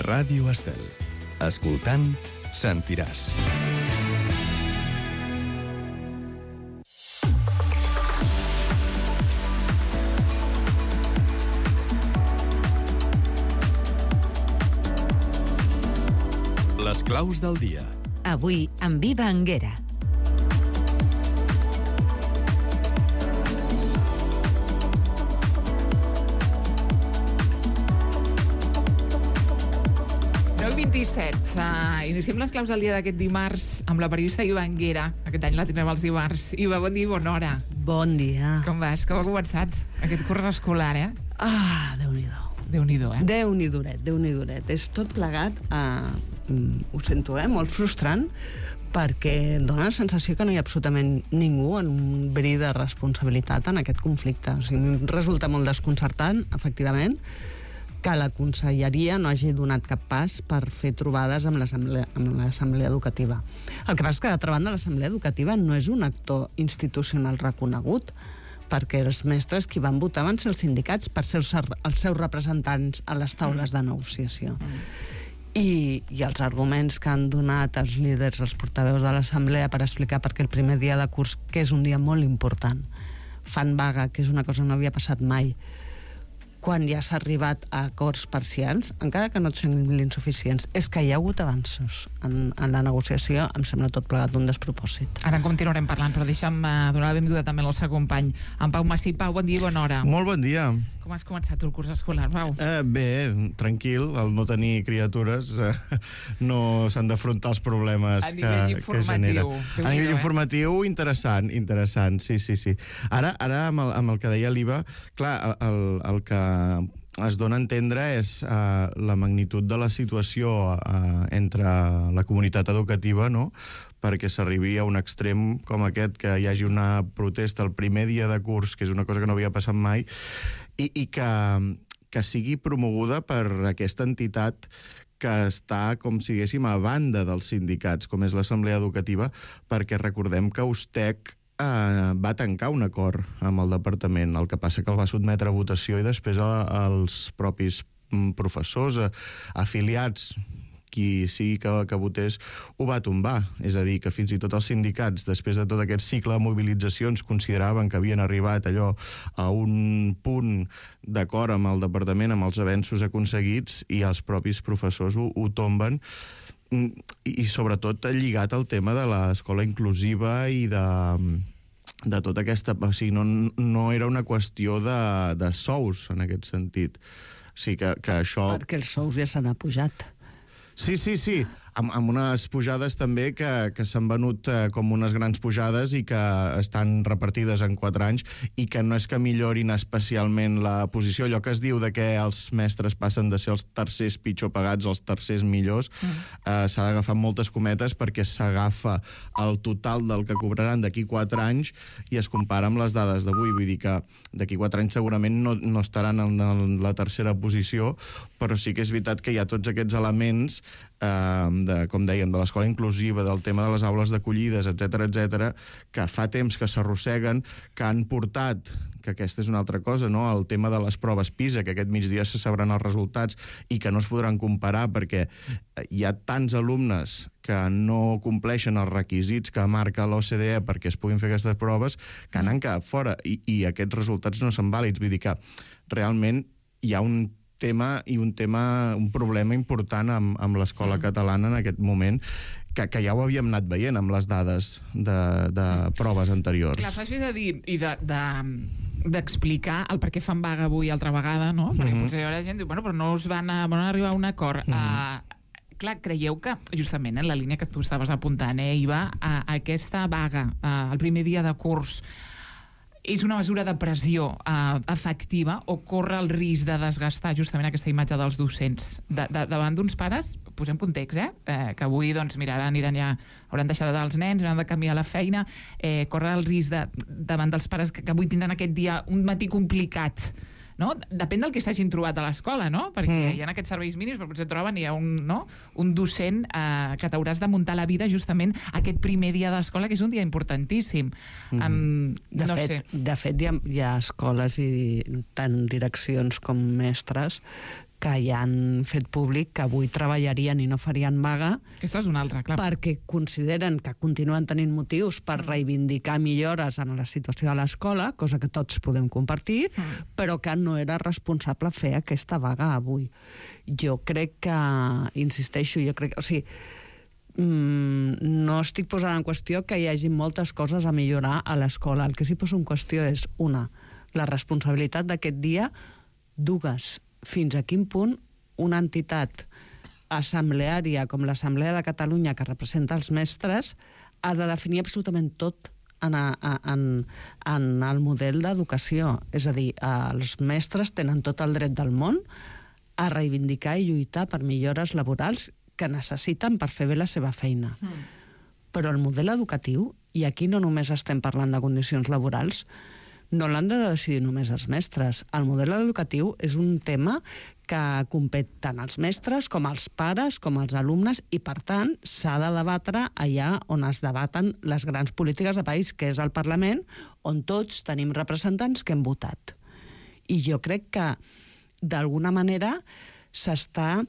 Ràdio Estel. Escoltant, sentiràs. Les claus del dia. Avui, amb Iva Anguera. deu vint-i-set. Uh, iniciem les claus del dia d'aquest dimarts amb la periodista Iva Anguera. Aquest any la tindrem els dimarts. Iva, bon dia i bona hora. Bon dia. Com vas? Com ha començat aquest curs escolar, eh? Ah, Déu-n'hi-do. Déu-n'hi-do, eh? Déu-n'hi-doret, Déu-n'hi-doret. És tot plegat, eh, ho sento, eh, molt frustrant, perquè dona la sensació que no hi ha absolutament ningú en un bri de responsabilitat en aquest conflicte. O sigui, em resulta molt desconcertant, efectivament, que la conselleria no hagi donat cap pas per fer trobades amb l'assemblea, amb l'assemblea educativa. El que passa és que, d'altra banda, l'assemblea educativa no és un actor institucional reconegut, perquè els mestres qui van votar van ser els sindicats per ser els seus representants a les taules de negociació. I, i els arguments que han donat els líders, els portaveus de l'assemblea per explicar perquè el primer dia de curs, que és un dia molt important, fan vaga, que és una cosa que no havia passat mai, quan ja s'ha arribat a acords parcials, encara que no et semblin insuficients, és que hi ha hagut avanços en, en la negociació, em sembla tot plegat un despropòsit. Ara en continuarem parlant, però deixa'm uh, donar la benvinguda també al nostre company, en Pau Massip. Pau, bon dia i bona hora. Molt bon dia. Com has començat el curs escolar, Pau? Eh, bé, tranquil, al no tenir criatures eh, no s'han d'afrontar els problemes que, que genera. A nivell eh? informatiu, interessant, interessant, sí, sí, sí. Ara, ara amb, el, amb el que deia l'Iva, clar, el, el que es dona a entendre és eh, la magnitud de la situació eh, entre la comunitat educativa, no?, perquè s'arribi a un extrem com aquest, que hi hagi una protesta el primer dia de curs, que és una cosa que no havia passat mai, i, i que, que sigui promoguda per aquesta entitat que està, com si diguéssim, a banda dels sindicats, com és l'Assemblea Educativa, perquè recordem que Ustec eh, va tancar un acord amb el departament, el que passa que el va sotmetre a votació i després a, als propis professors eh, afiliats qui sigui que, que votés ho va tombar. És a dir, que fins i tot els sindicats, després de tot aquest cicle de mobilitzacions, consideraven que havien arribat allò a un punt d'acord amb el departament, amb els avenços aconseguits, i els propis professors ho, ho tomben, i, i sobretot lligat al tema de l'escola inclusiva i de... de tota aquesta... O sigui, no, no era una qüestió de, de sous, en aquest sentit. O sigui, que, que això... Perquè els sous ja s'han apujat. Sí, sí, sí. Amb, amb unes pujades també que, que s'han venut eh, com unes grans pujades i que estan repartides en quatre anys i que no és que millorin especialment la posició. Allò que es diu de que els mestres passen de ser els tercers pitjor pagats als tercers millors, mm. eh, s'ha d'agafar moltes cometes perquè s'agafa el total del que cobraran d'aquí quatre anys i es compara amb les dades d'avui. Vull dir que d'aquí quatre anys segurament no, no estaran en, en la tercera posició, però sí que és veritat que hi ha tots aquests elements eh, de, com dèiem, de l'escola inclusiva, del tema de les aules d'acollides, etcètera, etcètera, que fa temps que s'arrosseguen, que han portat, que aquesta és una altra cosa, no?, el tema de les proves PISA, que aquest migdia se sabran els resultats i que no es podran comparar perquè hi ha tants alumnes que no compleixen els requisits que marca l'O C D E perquè es puguin fer aquestes proves, que n'han quedat fora, i, i aquests resultats no són vàlids. Vull dir que realment hi ha un tema i un tema, un problema important amb, amb l'escola mm. catalana en aquest moment, que, que ja ho havíem anat veient amb les dades de, de proves anteriors. Clar, fas bé de dir i de, de, d'explicar el per què fan vaga avui altra vegada, no? Perquè mm-hmm. potser hi haurà gent que diu, bueno, però no us van, a, van arribar a un acord. Mm-hmm. Uh, clar, creieu que, justament, en la línia que tu estaves apuntant, eh, Iva, a, a aquesta vaga, uh, el primer dia de curs, és una mesura de pressió eh, efectiva o corre el risc de desgastar justament aquesta imatge dels docents? De, de, davant d'uns pares, posem context, eh? eh que avui doncs, miraran, aniran ja, hauran deixat els nens, hauran de canviar la feina, eh, corre el risc de, davant dels pares que, que avui tindran aquest dia un matí complicat, no? Depèn del que s'hagin trobat a l'escola, no? Perquè mm. hi ha aquests serveis mínims, però potser troben hi ha un, no? un docent eh, que t'hauràs de muntar la vida justament aquest primer dia de l'escola, que és un dia importantíssim. Mm. Um, de, no fet, sé. de fet, hi ha, hi ha escoles i tant direccions com mestres que ja han fet públic que avui treballarien i no farien vaga. Aquesta és una altra, clar. Perquè consideren que continuen tenint motius per mm. reivindicar millores en la situació de l'escola, cosa que tots podem compartir, mm. però que no era responsable fer aquesta vaga avui. Jo crec que, insisteixo, jo crec... O sigui, mm, no estic posant en qüestió que hi hagi moltes coses a millorar a l'escola. El que sí poso en qüestió és, una, la responsabilitat d'aquest dia, dues, fins a quin punt una entitat assembleària com l'Assemblea de Catalunya, que representa els mestres, ha de definir absolutament tot en, a, en, en el model d'educació. És a dir, els mestres tenen tot el dret del món a reivindicar i lluitar per millores laborals que necessiten per fer bé la seva feina. Mm. Però el model educatiu, i aquí no només estem parlant de condicions laborals, no l'han de decidir només els mestres. El model educatiu és un tema que compet tant els mestres com els pares, com els alumnes, i per tant s'ha de debatre allà on es debaten les grans polítiques de país, que és el Parlament, on tots tenim representants que hem votat. I jo crec que d'alguna manera s'està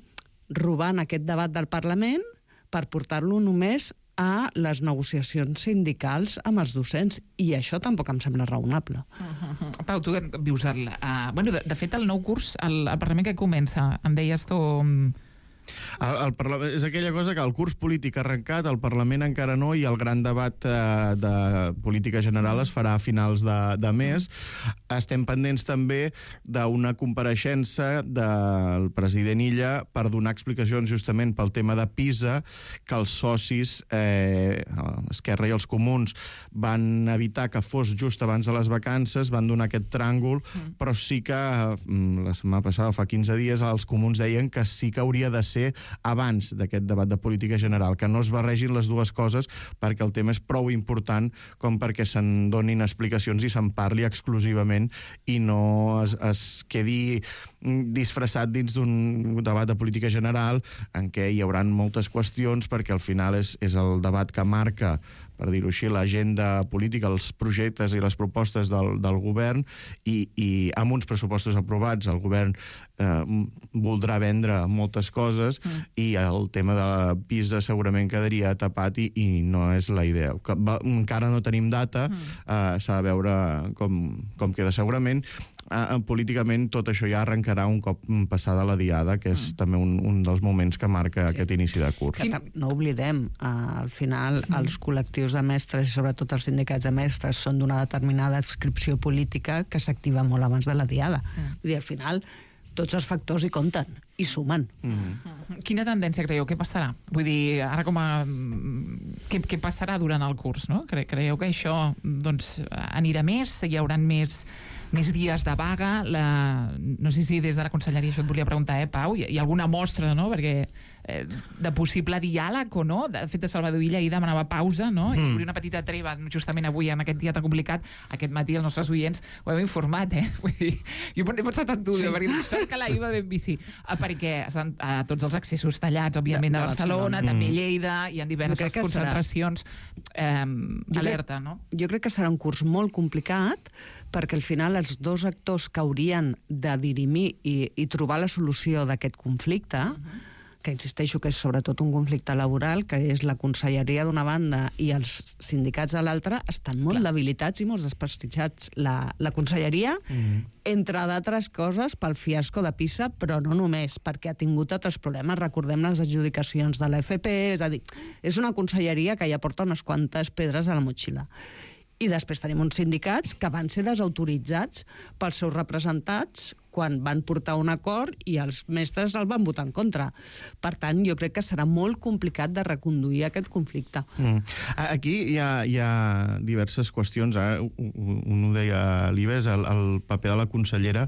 robant aquest debat del Parlament per portar-lo només a les negociacions sindicals amb els docents, i això tampoc em sembla raonable. Uh-huh. Pau, tu vius el... Uh, bueno, de, de fet, el nou curs, el, el Parlament que comença, em deies tu... El, el Parlament, és aquella cosa que el curs polític ha arrencat, el Parlament encara no, i el gran debat eh, de política general es farà a finals de, de mes. Estem pendents també d'una compareixença del president Illa per donar explicacions justament pel tema de PISA, que els socis, eh, Esquerra i els Comuns, van evitar que fos just abans de les vacances, van donar aquest tràngol, mm. però sí que la setmana passada, fa quinze dies, els Comuns deien que sí que hauria de ser abans d'aquest debat de política general, que no es barregin les dues coses, perquè el tema és prou important com perquè se'n donin explicacions i se'n parli exclusivament i no es, es quedi disfressat dins d'un debat de política general en què hi haurà moltes qüestions, perquè al final és, és el debat que marca per dir-ho així, l'agenda política, els projectes i les propostes del, del govern, i, i amb uns pressupostos aprovats el govern eh, voldrà vendre moltes coses, mm. i el tema de la Pisa segurament quedaria tapat, i, i no és la idea. Que, va, encara no tenim data, mm. eh, s'ha de veure com, com queda. Segurament Uh, políticament tot això ja arrencarà un cop passada la diada, que és mm. també un, un dels moments que marca sí. aquest inici de curs. Que no oblidem, uh, al final mm. els col·lectius de mestres i sobretot els sindicats de mestres són d'una determinada adscripció política que s'activa molt abans de la diada. Mm. Vull dir, al final tots els factors hi compten i sumen. Mm. Quina tendència creieu? Què passarà? Vull dir, ara com a... Què, què passarà durant el curs, no? Cre creieu que això doncs, anirà més? Hi haurà més... més dies de vaga, la... no sé si des de la conselleria això et volia preguntar, eh, Pau, hi ha alguna mostra, no?, perquè eh, de possible diàleg o no, de fet, Salvador Illa ahir demanava pausa, no?, mm. i obrir una petita treva justament avui en aquest dia tan complicat. Aquest matí els nostres oients ho hem informat, eh, vull dir, jo he pensat en tu, sí. perquè sort que l'ahir va ben bici, perquè estan a tots els accessos tallats, òbviament, de, de a Barcelona, mm. també Lleida, hi ha diverses concentracions, eh, alerta, no? Jo crec que serà un curs molt complicat, perquè al final els dos actors que haurien de dirimir i, i trobar la solució d'aquest conflicte, uh-huh. que insisteixo que és sobretot un conflicte laboral, que és la conselleria d'una banda i els sindicats a l'altra, estan molt Clar. debilitats i molt desprestigiats. La, la conselleria, uh-huh. entre d'altres coses, pel fiasco de Pisa, però no només, perquè ha tingut altres problemes. Recordem les adjudicacions de l'F P, és a dir, és una conselleria que ja porta unes quantes pedres a la motxilla. I després tenim uns sindicats que van ser desautoritzats pels seus representats quan van portar un acord i els mestres el van votar en contra. Per tant, jo crec que serà molt complicat de reconduir aquest conflicte. Mm. Aquí hi ha, hi ha diverses qüestions. Eh? Un ho deia l'Ives, el, el paper de la consellera.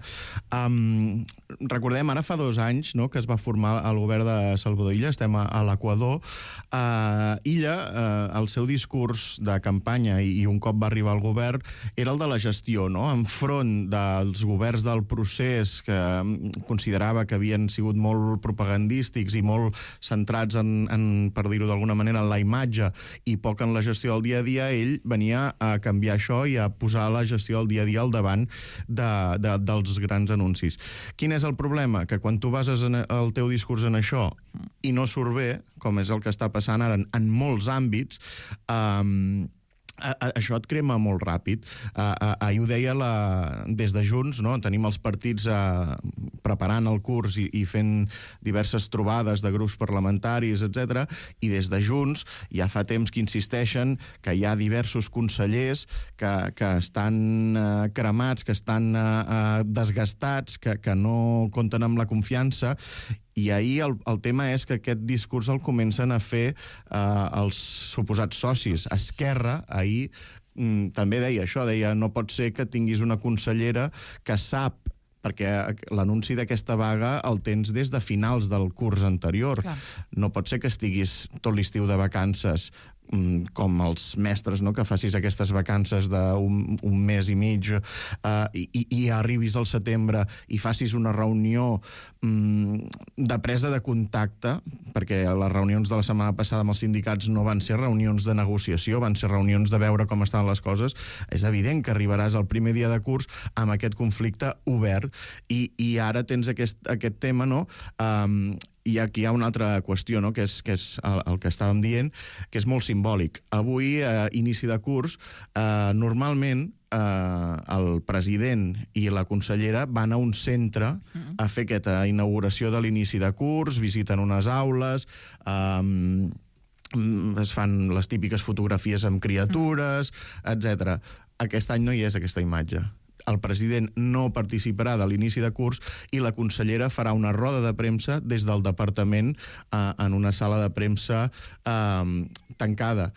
Um, recordem, ara fa dos anys, no?, que es va formar el govern de Salvador Illa, estem a, a l'Equador. Uh, Illa, uh, el seu discurs de campanya i, i un cop va arribar al govern, era el de la gestió, no?, enfront dels governs del procés que considerava que havien sigut molt propagandístics i molt centrats en, en per dir-ho d'alguna manera, en la imatge i poc en la gestió del dia a dia. Ell venia a canviar això i a posar la gestió del dia a dia al davant de, de, dels grans anuncis. Quin és el problema? Que quan tu bases en el teu discurs en això i no surt bé, com és el que està passant ara en, en molts àmbits, eh, A, a, això et crema molt ràpid. Uh, uh, ahir ho deia la, des de Junts, no? Tenim els partits uh, preparant el curs i, i fent diverses trobades de grups parlamentaris, etcètera, i des de Junts ja fa temps que insisteixen que hi ha diversos consellers que, que estan uh, cremats, que estan uh, uh, desgastats, que, que no compten amb la confiança. I ahir el, el tema és que aquest discurs el comencen a fer eh, els suposats socis. Esquerra, ahir, mm, també deia això, deia no pot ser que tinguis una consellera que sap, perquè l'anunci d'aquesta vaga el tens des de finals del curs anterior. Clar. No pot ser que estiguis tot l'estiu de vacances com els mestres, no?, que facis aquestes vacances d'un un mes i mig uh, i, i arribis al setembre i facis una reunió um, de presa de contacte, perquè les reunions de la setmana passada amb els sindicats no van ser reunions de negociació, van ser reunions de veure com estan les coses. És evident que arribaràs al primer dia de curs amb aquest conflicte obert i, i ara tens aquest, aquest tema, no?, um, i aquí hi ha una altra qüestió, no?, que és, que és el, el que estàvem dient, que és molt simbòlic. Avui, eh, inici de curs, eh, normalment eh, el president i la consellera van a un centre a fer aquesta inauguració de l'inici de curs, visiten unes aules, eh, es fan les típiques fotografies amb criatures, etcètera. Aquest any no hi és aquesta imatge. El president no participarà de l'inici de curs i la consellera farà una roda de premsa des del departament eh, en una sala de premsa eh, tancada.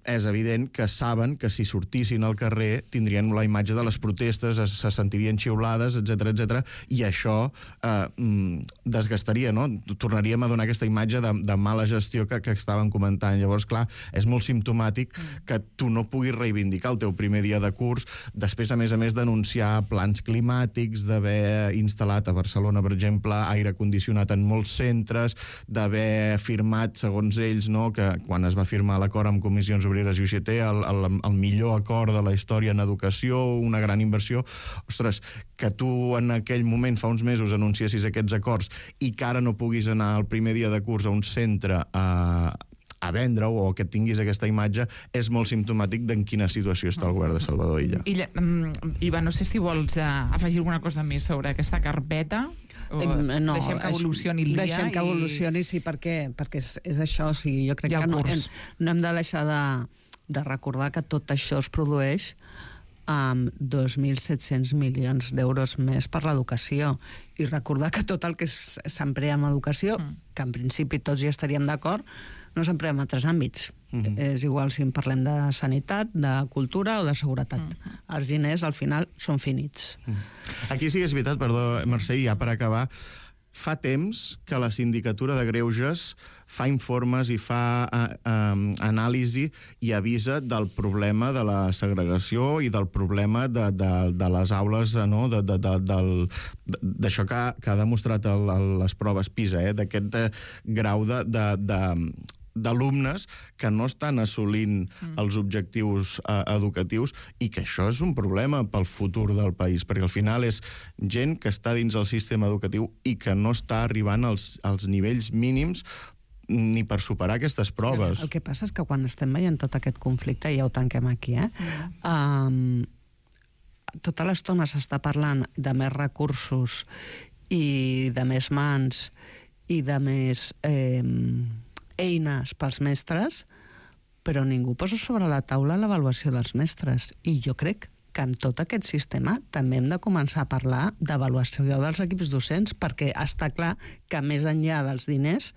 És evident que saben que si sortissin al carrer tindrien la imatge de les protestes, es, se sentirien xiulades, etcètera, etcètera, i això eh, desgastaria, no? Tornaríem a donar aquesta imatge de, de mala gestió que, que estàvem comentant. Llavors, clar, és molt simptomàtic que tu no puguis reivindicar el teu primer dia de curs, després, a més a més, denunciar plans climàtics, d'haver instal·lat a Barcelona, per exemple, aire condicionat en molts centres, d'haver firmat, segons ells, no?, que quan es va firmar l'acord amb comissions Comissions Obreres i U G T, el, el, el millor acord de la història en educació, una gran inversió. Ostres, que tu en aquell moment, fa uns mesos, anunciessis aquests acords i que ara no puguis anar el primer dia de curs a un centre a, a vendre o que tinguis aquesta imatge, és molt simptomàtic d'en quina situació està el govern de Salvador Illa. Illa, um, Iva, no sé si vols uh, afegir alguna cosa més sobre aquesta carpeta. O no, deixem que evolucioni el dia. Deixem que evolucioni, i... sí, perquè, perquè és, és això. O sigui, jo crec que no, hem, no hem de deixar de, de recordar que tot això es produeix amb dos mil set-cents milions d'euros més per l'educació. I recordar que tot el que s'emprea en educació, mm. que en principi tots hi estaríem d'acord, no s'emprea en altres àmbits. Mm-hmm. És igual si en parlem de sanitat, de cultura o de seguretat. Mm-hmm. Els diners, al final, són finits. Mm. Aquí sí que és veritat, perdó, Mercè, ja per acabar, fa temps que la Sindicatura de Greuges fa informes i fa uh, um, anàlisi i avisa del problema de la segregació i del problema de, de, de les aules, no? de, de, de, del, d'això que, que ha demostrat el, el, les proves PISA, eh? D'aquest uh, grau de... de, de d'alumnes que no estan assolint mm. els objectius eh, educatius, i que això és un problema pel futur del país, perquè al final és gent que està dins el sistema educatiu i que no està arribant als, als nivells mínims ni per superar aquestes proves. Sí, el que passa és que quan estem veient tot aquest conflicte, ja ho tanquem aquí, eh? Mm. Um, tota l'estona s'està parlant de més recursos i de més mans i de més... Eh, eines pels mestres, però ningú posa sobre la taula l'avaluació dels mestres. I jo crec que en tot aquest sistema també hem de començar a parlar d'avaluació dels equips docents, perquè està clar que més enllà dels diners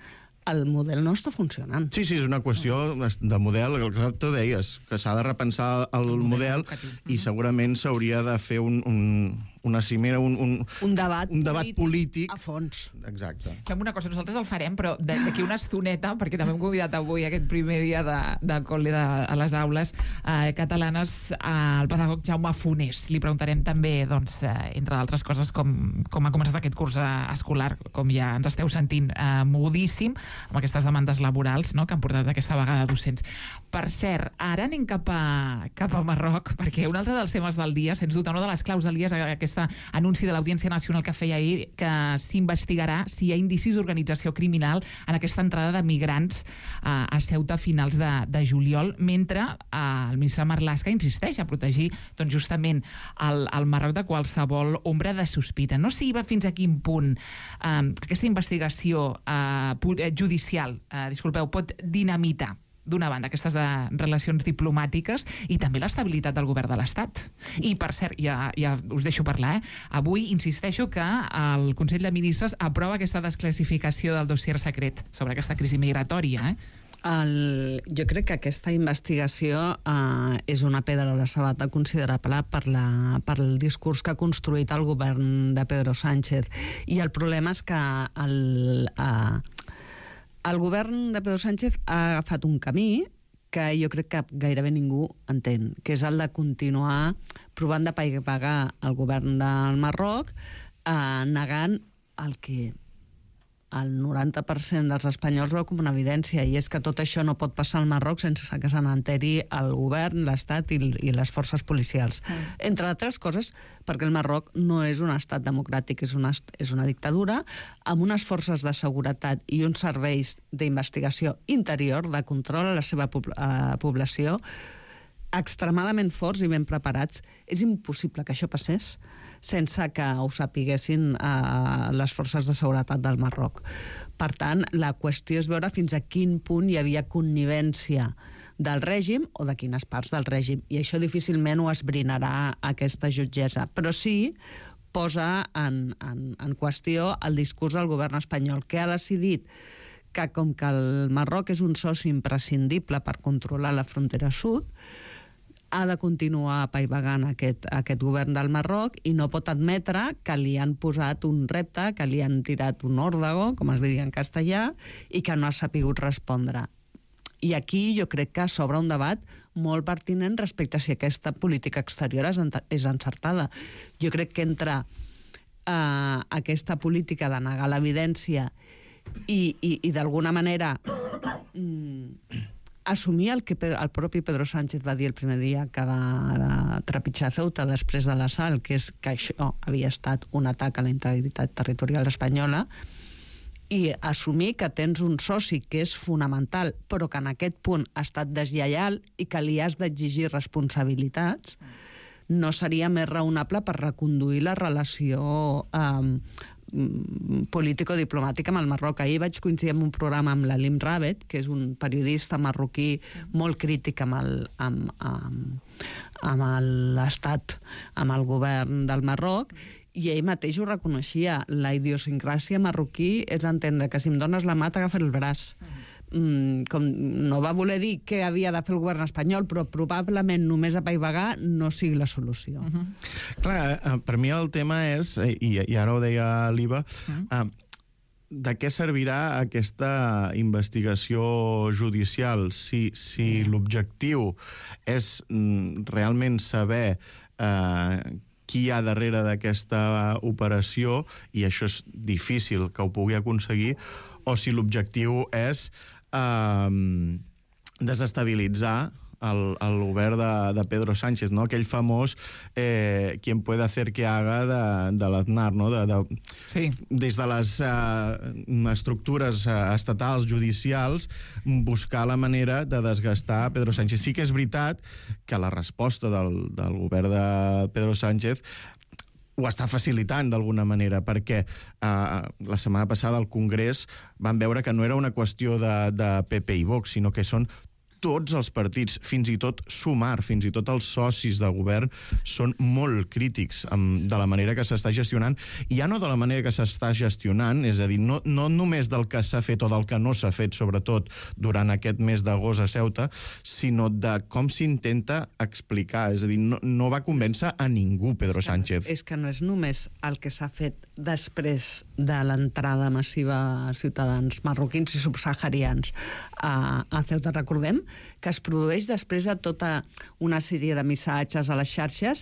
el model no està funcionant. Sí, sí, és una qüestió de model, el que tu deies, que s'ha de repensar el, el model, model i segurament s'hauria de fer un, un, una cimera, un, un, un debat, un debat polític, polític a fons. Exacte. Fem una cosa, nosaltres el farem, però d'aquí una estoneta, perquè també hem convidat avui aquest primer dia de, de col·le de, a les aules eh, catalanes al pedagog Jaume Fonés. Li preguntarem també, doncs, eh, entre d'altres coses, com, com ha començat aquest curs escolar, com ja ens esteu sentint, eh, modíssim, amb aquestes demandes laborals, no?, que han portat aquesta vaga de docents. Per cert, ara anem cap a, cap a Marroc, perquè un altre dels temes del dia, sens dubte, una de les claus del dia és aquest anunci de l'Audiència Nacional que feia ahir, que s'investigarà si hi ha indicis d'organització criminal en aquesta entrada de migrants uh, a Ceuta a finals de, de juliol, mentre uh, el ministre Marlaska insisteix a protegir, doncs, justament el, el Marroc de qualsevol ombra de sospita. No sé si va fins a quin punt uh, aquesta investigació uh, judicial, uh, disculpeu, pot dinamitar d'una banda, aquestes de relacions diplomàtiques i també l'estabilitat del govern de l'Estat. I, per cert, ja, ja us deixo parlar, eh? Avui insisteixo que el Consell de Ministres aprova aquesta desclassificació del dossier secret sobre aquesta crisi migratòria, eh? El, jo crec que aquesta investigació eh, és una pedra a la sabata considerable per, la, per el discurs que ha construït el govern de Pedro Sánchez. I el problema és que el... Eh, El govern de Pedro Sánchez ha agafat un camí que jo crec que gairebé ningú entén, que és el de continuar provant de pagar el govern del Marroc, eh, negant el que el noranta per cent dels espanyols veu com una evidència, i és que tot això no pot passar al Marroc sense que se n'enteri el govern, l'Estat i, i les forces policials. Mm. Entre altres coses, perquè el Marroc no és un estat democràtic, és una, és una dictadura, amb unes forces de seguretat i uns serveis d'investigació interior, de control a la seva uh, població, extremadament forts i ben preparats. És impossible que això passés sense que ho sapiguessin eh, les forces de seguretat del Marroc. Per tant, la qüestió és veure fins a quin punt hi havia connivència del règim o de quines parts del règim. I això difícilment ho esbrinarà aquesta jutgessa. Però sí posa en, en, en qüestió el discurs del govern espanyol, que ha decidit que, com que el Marroc és un soci imprescindible per controlar la frontera sud, ha de continuar apaivagant aquest, aquest govern del Marroc i no pot admetre que li han posat un repte, que li han tirat un òrdago, com es diria en castellà, i que no ha sapigut respondre. I aquí jo crec que s'obre un debat molt pertinent respecte a si aquesta política exterior és, és encertada. Jo crec que entre eh, aquesta política de negar l'evidència i, i, i d'alguna manera mm, assumir el que el propi Pedro Sánchez va dir el primer dia que va trepitjar Ceuta després de l'assalt, que és que això havia estat un atac a la integritat territorial espanyola, i assumir que tens un soci que és fonamental, però que en aquest punt ha estat deslleial i que li has d'exigir responsabilitats, no seria més raonable per reconduir la relació eh, político-diplomàtica amb el Marroc. Ahir vaig coincidir en un programa amb l'Alim Rabet, que és un periodista marroquí molt crític amb el, amb, amb, amb l'estat, amb el govern del Marroc, i ell mateix ho reconeixia. La idiosincràsia marroquí és entendre que si em dones la mà t'agafa el braç. Mm, com no va voler dir què havia de fer el govern espanyol, però probablement només apaivagar no sigui la solució. Uh-huh. Clar, per mi el tema és, i, i ara ho deia l'Iva, uh-huh. uh, de què servirà aquesta investigació judicial si, si uh-huh. l'objectiu és mm, realment saber uh, qui hi ha darrere d'aquesta operació, i això és difícil que ho pugui aconseguir, o si l'objectiu és eh, desestabilitzar el, el govern de, de Pedro Sánchez, no? Aquell famós eh, quien puede hacer que haga de, de l'Aznar, no? De, de, sí. Des de les eh, estructures eh, estatals, judicials, buscar la manera de desgastar Pedro Sánchez. Sí que és veritat que la resposta del, del govern de Pedro Sánchez ho està facilitant d'alguna manera, perquè eh, la setmana passada al Congrés van veure que no era una qüestió de, de P P i Vox, sinó que són tots els partits, fins i tot Sumar, fins i tot els socis de govern, són molt crítics amb, de la manera que s'està gestionant, i ja no de la manera que s'està gestionant, és a dir, no, no només del que s'ha fet o del que no s'ha fet, sobretot durant aquest mes d'agost a Ceuta, sinó de com s'intenta explicar. És a dir, no, no va convèncer a ningú, Pedro és que, Sánchez. És que no és només el que s'ha fet després de l'entrada massiva a ciutadans marroquins i subsaharians a, a Ceuta. Recordem que es produeix després de tota una sèrie de missatges a les xarxes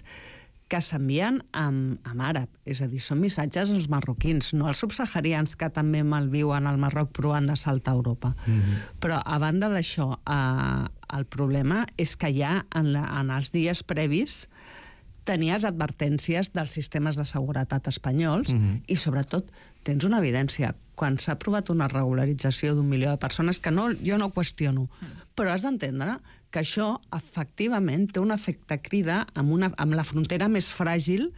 que s'envien en, en àrab. És a dir, són missatges als marroquins, no als subsaharians, que també malviuen al Marroc provant de saltar a Europa. Mm-hmm. Però, a banda d'això, eh, el problema és que ja en, la, en els dies previs tenies advertències dels sistemes de seguretat espanyols mm-hmm. i, sobretot, tens una evidència. Quan s'ha aprovat una regularització d'un milió de persones, que no, jo no qüestiono, però has d'entendre que això, efectivament, té un efecte crida amb, una, amb la frontera més fràgil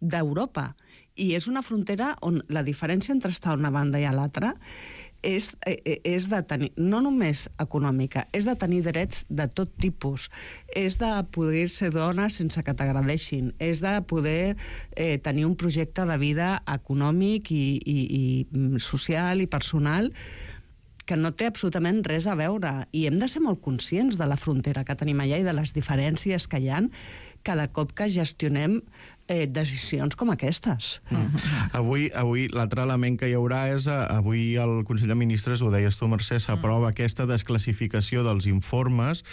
d'Europa. I és una frontera on la diferència entre estar a una banda i a l'altra és, és de tenir, no només econòmica, és de tenir drets de tot tipus, és de poder ser dona sense que t'agradeixin, és de poder eh, tenir un projecte de vida econòmic i, i, i social i personal que no té absolutament res a veure. I hem de ser molt conscients de la frontera que tenim allà i de les diferències que hi ha cada cop que gestionem eh, decisions com aquestes. Mm. Avui, avui l'altre element que hi haurà és, avui el Consell de Ministres, ho deies tu, Mercè, s'aprova mm. aquesta desclassificació dels informes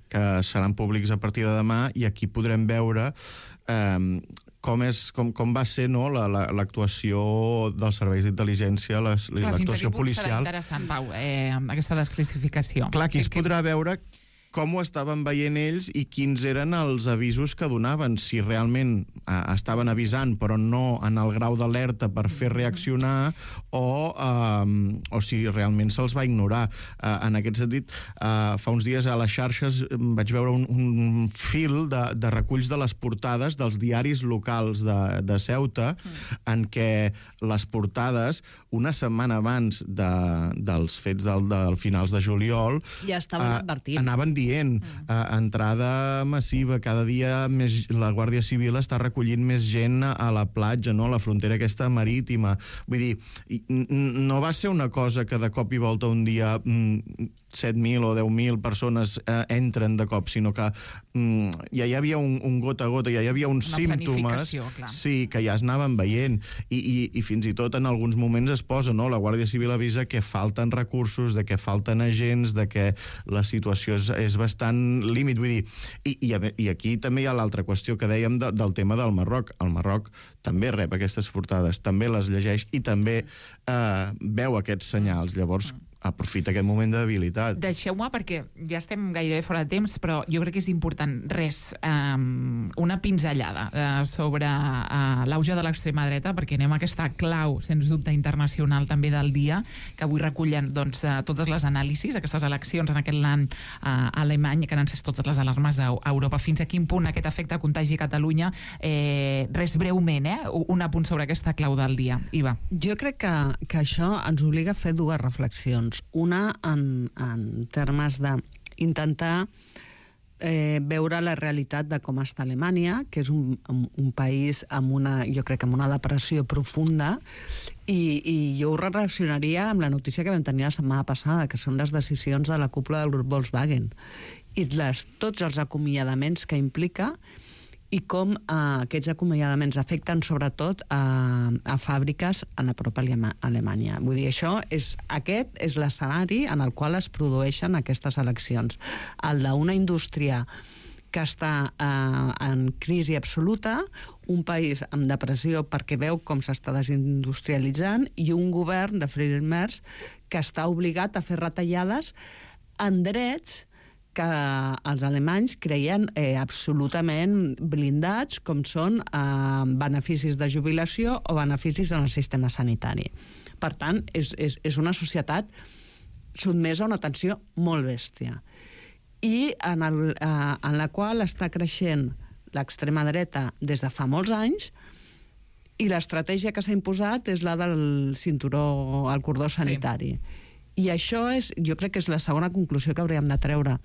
que seran públics a partir de demà, i aquí podrem veure eh, com, és, com, com va ser, no, la, la, l'actuació dels serveis d'intel·ligència, les, Clar, l'actuació policial. Fins a quin punt serà interessant, Pau, eh, aquesta desclassificació. Clar, aquí es podrà veure com ho estaven veient ells i quins eren els avisos que donaven, si realment eh, estaven avisant però no en el grau d'alerta per fer reaccionar, o, eh, o si realment se'ls va ignorar. Eh, en aquest sentit, eh, fa uns dies a les xarxes vaig veure un, un fil de, de reculls de les portades dels diaris locals de, de Ceuta, mm. en què les portades, una setmana abans de, dels fets del, del finals de juliol, ja estaven eh, advertint. Anaven dient, mm. eh, entrada massiva, cada dia més, la Guàrdia Civil està recollint més gent a la platja, no? A la frontera aquesta marítima. Vull dir, no va ser una cosa que de cop i volta un dia mm, set mil o deu mil persones eh, entren de cop, sinó que mm, ja hi havia un, un gota a gota, ja hi havia uns una símptomes, clar. Sí, que ja es anaven veient, i, i, i fins i tot en alguns moments es posa, no? La Guàrdia Civil avisa que falten recursos, de que falten agents, de que la situació és, és bastant límit, vull dir, i, i, i aquí també hi ha l'altra qüestió que dèiem de, del tema del Marroc. El Marroc també rep aquestes portades, també les llegeix i també eh, veu aquests senyals. Llavors, aprofita aquest moment de debilitat. Deixeu-me, perquè ja estem gairebé fora de temps, però jo crec que és important, res, um, una pinzellada uh, sobre uh, l'auge de l'extrema dreta, perquè anem a aquesta clau, sens dubte, internacional també del dia, que avui recullen doncs, uh, totes les anàlisis, aquestes eleccions en aquest land uh, alemany, que han encès totes les alarmes a Europa. Fins a quin punt aquest efecte contagi a Catalunya? Eh, res, breument, eh? un apunt sobre aquesta clau del dia. Iva. Jo crec que, que això ens obliga a fer dues reflexions. Una en, en termes d'intentar eh, veure la realitat de com està Alemanya, que és un, un país amb una, jo crec, amb una depressió profunda, i, i jo ho relacionaria amb la notícia que vam tenir la setmana passada, que són les decisions de la cúpula del grup Volkswagen, i les, tots els acomiadaments que implica, i com eh, aquests acomiadaments afecten sobretot a, a fàbriques en la pròpia Alemanya. Vull dir, això és, aquest és l'escenari en el qual es produeixen aquestes eleccions. El d'una indústria que està eh, en crisi absoluta, un país amb depressió perquè veu com s'està desindustrialitzant, i un govern de Friedrich Merz que està obligat a fer retallades en drets que els alemanys creien eh, absolutament blindats, com són eh, beneficis de jubilació o beneficis en el sistema sanitari. Per tant, és, és, és una societat sotmesa a una tensió molt bèstia, i en, el, eh, en la qual està creixent l'extrema dreta des de fa molts anys, i l'estratègia que s'ha imposat és la del cinturó, el cordó sanitari. Sí. I això és, jo crec que és la segona conclusió que hauríem de treure.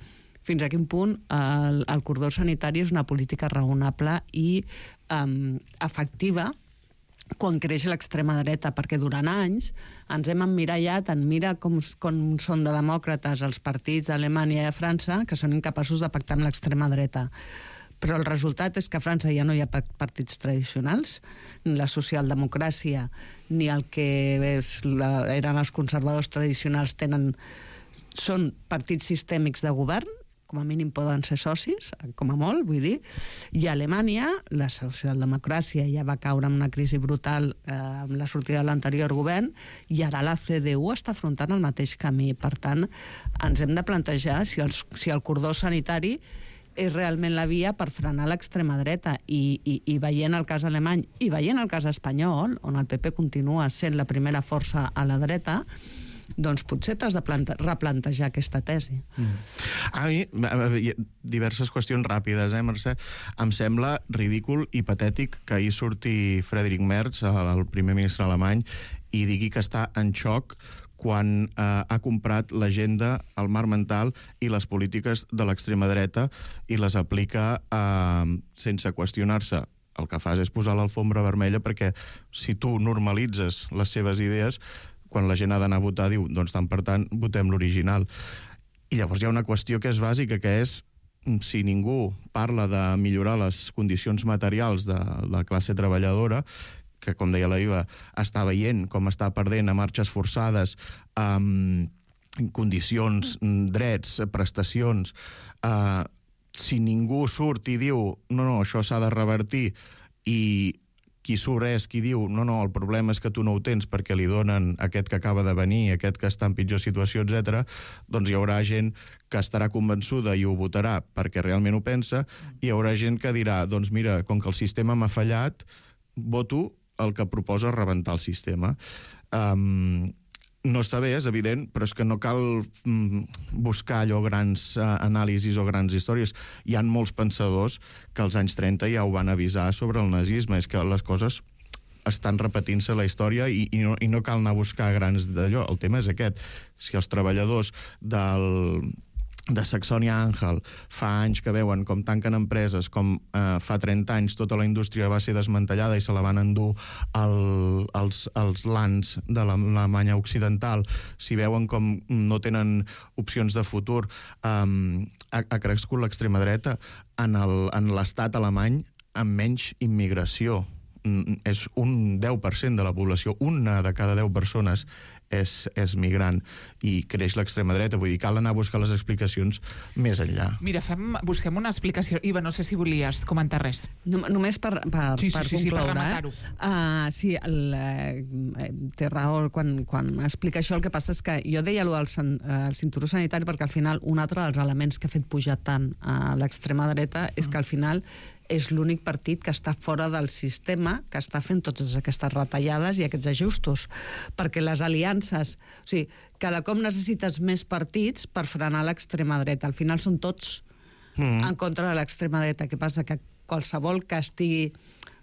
Fins a quin punt el, el cordó sanitari és una política raonable i um, efectiva quan creix l'extrema dreta, perquè durant anys ens hem emmirallat en mira com, com són de demòcrates els partits d'Alemanya i de França, que són incapaços de pactar amb l'extrema dreta. Però el resultat és que a França ja no hi ha partits tradicionals, ni la socialdemocràcia ni el que és la, eren els conservadors tradicionals tenen, són partits sistèmics de govern, com a mínim poden ser socis, com a molt, vull dir. I a Alemanya, la socialdemocràcia ja va caure en una crisi brutal eh, amb la sortida de l'anterior govern, i ara la C D U està afrontant el mateix camí. Per tant, ens hem de plantejar si, els, si el cordó sanitari és realment la via per frenar l'extrema dreta, i, i, i veient el cas alemany i veient el cas espanyol, on el P P continua sent la primera força a la dreta, doncs potser t'has de plante- replantejar aquesta tesi. Mm. A mi, diverses qüestions ràpides, eh, Mercè? Em sembla ridícul i patètic que ahir surti Friedrich Merz, el primer ministre alemany, i digui que està en xoc quan eh, ha comprat l'agenda, el marc mental i les polítiques de l'extrema dreta i les aplica eh, sense qüestionar-se. El que fas és posar l'alfombra vermella, perquè si tu normalitzes les seves idees, quan la gent ha d'anar a votar, diu, doncs tant per tant, votem l'original. I llavors hi ha una qüestió que és bàsica, que és, si ningú parla de millorar les condicions materials de la classe treballadora, que, com deia la Iva, està veient com està perdent a marxes forçades, amb condicions, drets, prestacions, eh, si ningú surt i diu, no, no, això s'ha de revertir, i qui surt és qui diu, no, no, el problema és que tu no ho tens perquè li donen aquest que acaba de venir, aquest que està en pitjor situació, etcètera, doncs hi haurà gent que estarà convençuda i ho votarà perquè realment ho pensa, i hi haurà gent que dirà, doncs mira, com que el sistema m'ha fallat, voto el que proposa rebentar el sistema. Um, no està bé, és evident, però és que no cal mm, buscar allò grans uh, anàlisis o grans històries. Hi ha molts pensadors que als anys trenta ja ho van avisar sobre el nazisme. És que les coses estan repetint-se la història i, i, no, i no cal anar a buscar grans d'allò. El tema és aquest. Si els treballadors del... de Saxònia-Anhalt fa anys que veuen com tanquen empreses, com eh, fa trenta anys tota la indústria va ser desmantellada i se la van endur el, els, els lands de l'Alemanya occidental, si veuen com no tenen opcions de futur, eh, ha, ha crescut l'extrema dreta en l'estat alemany amb menys immigració. és un deu per cent de la població, una de cada deu persones és, és migrant, i creix l'extrema dreta. Vull dir, cal anar a buscar les explicacions més enllà. Mira, fem, busquem una explicació. Iva, no sé si volies comentar res. No, només per, per, sí, sí, per sí, concloure. Sí, per rematar-ho. Uh, sí, el, uh, té raó quan, quan explica això. El que passa és que jo deia allò del uh, cinturó sanitari perquè al final un altre dels elements que ha fet pujar tant a l'extrema dreta és que al final és l'únic partit que està fora del sistema, que està fent totes aquestes retallades i aquests ajustos. Perquè les aliances... O sigui, cada cop necessites més partits per frenar l'extrema dreta. Al final són tots mm. en contra de l'extrema dreta. Què passa? Que qualsevol que estigui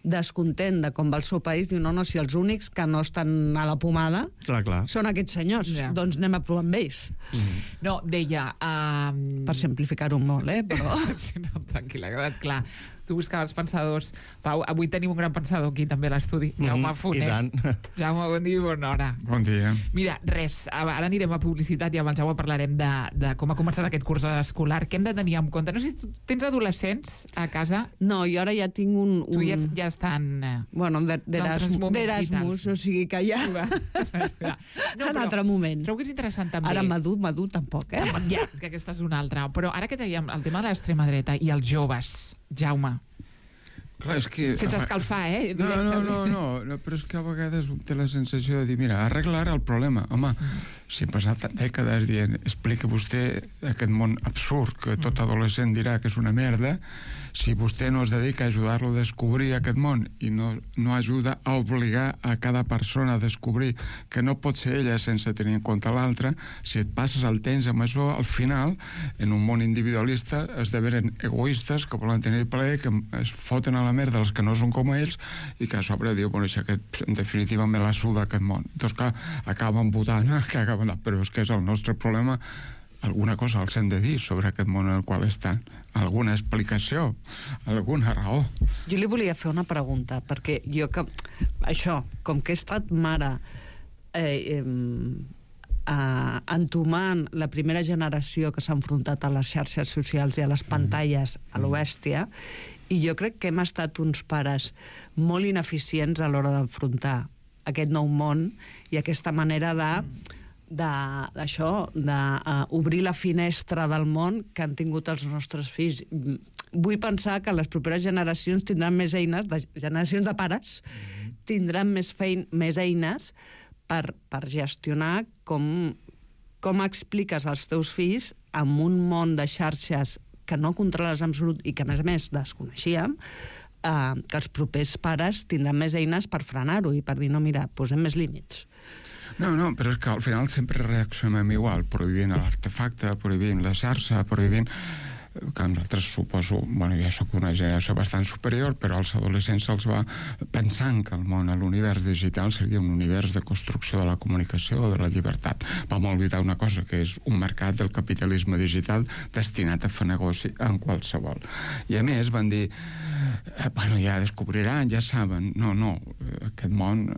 descontent de com va el seu país diu, no, no, si els únics que no estan a la pomada clar, clar. són aquests senyors, ja. Doncs anem a provar amb ells. Mm. No, deia... Um... Per simplificar-ho molt, eh? Però... no, tranquil·la, ha quedat clar. Tu buscaves pensadors. Pau, avui tenim un gran pensador aquí també a l'estudi. Mm-hmm. Jaume Funès. Jaume, bon dia i bona hora. Bon dia. Mira, res, ara anirem a publicitat i amb el Jaume parlarem de, de com ha començat aquest curs escolar. Què hem de tenir en compte? No sé si tu tens adolescents a casa. No, jo ara ja tinc un... un... Tu ja, ja estan... Eh, bueno, d'Erasmus, o sigui que ja... no, en altre moment. Trobo que és interessant també. Ara madur, madur tampoc, eh? Ja, que aquesta és una altra. Però ara que dèiem el tema de l'extrema dreta i els joves, Jaume, clar, és que... sense escalfar, eh? No, no, no, no, no, però és que a vegades té la sensació de dir, mira, arreglar el problema. Home, si hem passat dècades dient, explica vostè aquest món absurd que tot adolescent dirà que és una merda, si vostè no es dedica a ajudar-lo a descobrir aquest món i no, no ajuda a obligar a cada persona a descobrir que no pot ser ella sense tenir en compte l'altra, si et passes el temps amb això, al final, en un món individualista, esdevenen egoistes que volen tenir plaer, que es foten a la merda els que no són com ells i que a sobre diu, bueno, això aquest, en definitiva me la suda aquest món. Doncs que acaben votant, que acaben... però és que és el nostre problema. Alguna cosa els hem de dir sobre aquest món en el qual estan. Alguna explicació, alguna raó. Jo li volia fer una pregunta, perquè jo que... Això, com que he estat mare eh, eh, entomant la primera generació que s'ha enfrontat a les xarxes socials i a les pantalles a lo bèstia, i jo crec que hem estat uns pares molt ineficients a l'hora d'enfrontar aquest nou món i aquesta manera de... d'això, d'obrir la finestra del món que han tingut els nostres fills. Vull pensar que les properes generacions tindran més eines, de generacions de pares, tindran més, fein, més eines per, per gestionar com, com expliques als teus fills en un món de xarxes que no controles en absolut i que, a més a més, desconeixíem, eh, que els propers pares tindran més eines per frenar-ho i per dir, no, mira, posem més límits. No, no, però és que al final sempre reaccionem igual, prohibint l'artefacte, prohibint la xarxa, prohibint... que nosaltres suposo, bueno, jo soc una generació bastant superior, però als adolescents se'ls va pensant que el món, l'univers digital seria un univers de construcció de la comunicació o de la llibertat. Vam oblidar una cosa, que és un mercat del capitalisme digital destinat a fer negoci en qualsevol. I a més van dir, eh, bueno, ja descobriran, ja saben. No, no, aquest món...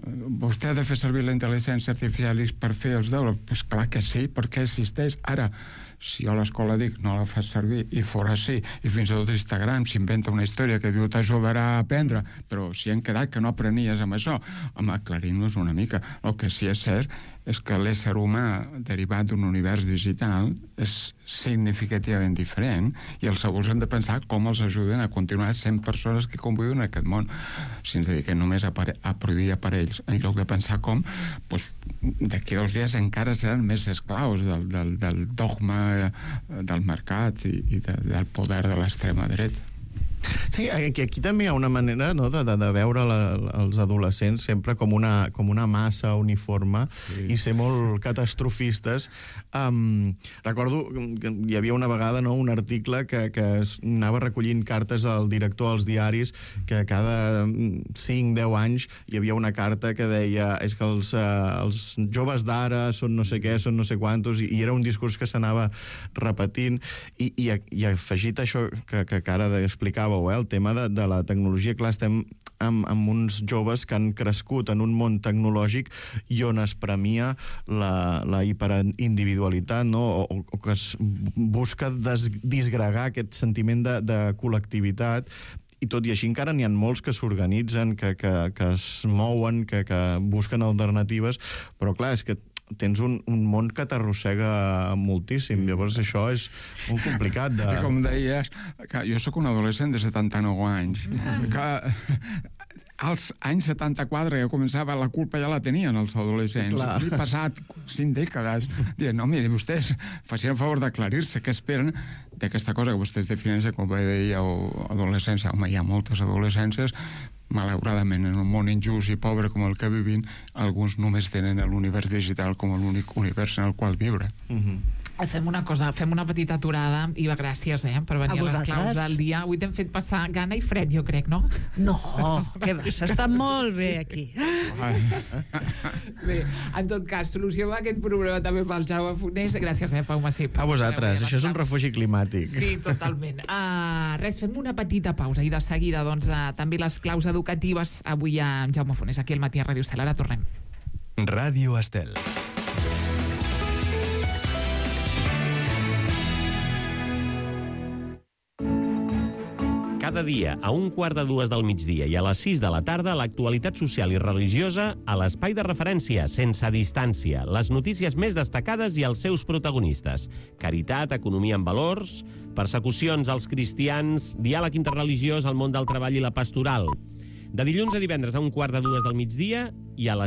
Vostè ha de fer servir la intel·ligència artificial per fer els deures? Pues clar que sí, perquè existeix. Ara, si jo a l'escola dic no la fas servir i fora sí, i fins i tot Instagram s'inventa una història que diu t'ajudarà a aprendre, però si hem quedat que no aprenies amb això, home, aclarim-nos una mica. El que sí és cert és que l'ésser humà derivat d'un univers digital és significativament diferent i els adults han de pensar com els ajuden a continuar sent persones que conviuen en aquest món. Si ens dediquem només a, a prohibir aparells en lloc de pensar com, doncs, d'aquí dos dies encara seran més esclaus del, del, del dogma del mercat i, i de, del poder de l'extrema dreta. Sí, aquí, aquí també hi ha una manera, no, de, de, de veure la, els adolescents sempre com una, com una massa uniforme, sí, i ser molt catastrofistes. Um, recordo que hi havia una vegada, no, un article que, que anava recollint cartes al director dels diaris, que cada cinc deu anys hi havia una carta que deia és que els, uh, els joves d'ara són no sé què, són no sé quantos, i, i era un discurs que s'anava repetint, i, i, i afegit això que, que ara explicava, eh, el tema de, de la tecnologia. Clar, estem amb, amb uns joves que han crescut en un món tecnològic i on es premia la, la hiperindividualitat, no? o, o que es busca des, disgregar aquest sentiment de, de col·lectivitat, i tot i així encara n'hi ha molts que s'organitzen, que, que, que es mouen, que, que busquen alternatives, però clar, és que tens un, un món que t'arrossega moltíssim, llavors això és molt complicat de... I com deies, que jo sóc un adolescent de setanta-nou anys, que als anys setanta-quatre ja començava, la culpa ja la tenien els adolescents. Clar. He passat cinc dècades dient, no, mire, vostès facin el favor d'aclarir-se què esperen d'aquesta cosa que vostès defineixen, com deia, adolescència. Home, hi ha moltes adolescències, malauradament, en un món injust i pobre com el que vivim, alguns només tenen l'univers digital com l'únic univers en el qual viure. Mm-hmm. Fem una cosa, fem una petita aturada i gràcies, eh, per venir a, a les claus del dia. Avui t'hem fet passar gana i fred, jo crec, no? No, què va, s'està molt bé aquí. Bé, en tot cas, solució a aquest problema també pel Jaume Fonés. Gràcies, eh, Pau Massip. A vosaltres, això és un refugi climàtic. Sí, totalment. Uh, res, fem una petita pausa i de seguida, doncs, uh, també les claus educatives avui amb Jaume Fonés, aquí al Matí a Ràdio Estel. Ara tornem. Ràdio Estel. Cada dia, a un quart de dues del migdia i a les sis de la tarda, l'actualitat social i religiosa a l'espai de referència, sense distància, les notícies més destacades i els seus protagonistes. Caritat, economia amb valors, persecucions als cristians, diàleg interreligiós al món del treball i la pastoral. De dilluns a divendres a un quart de dues del migdia i a les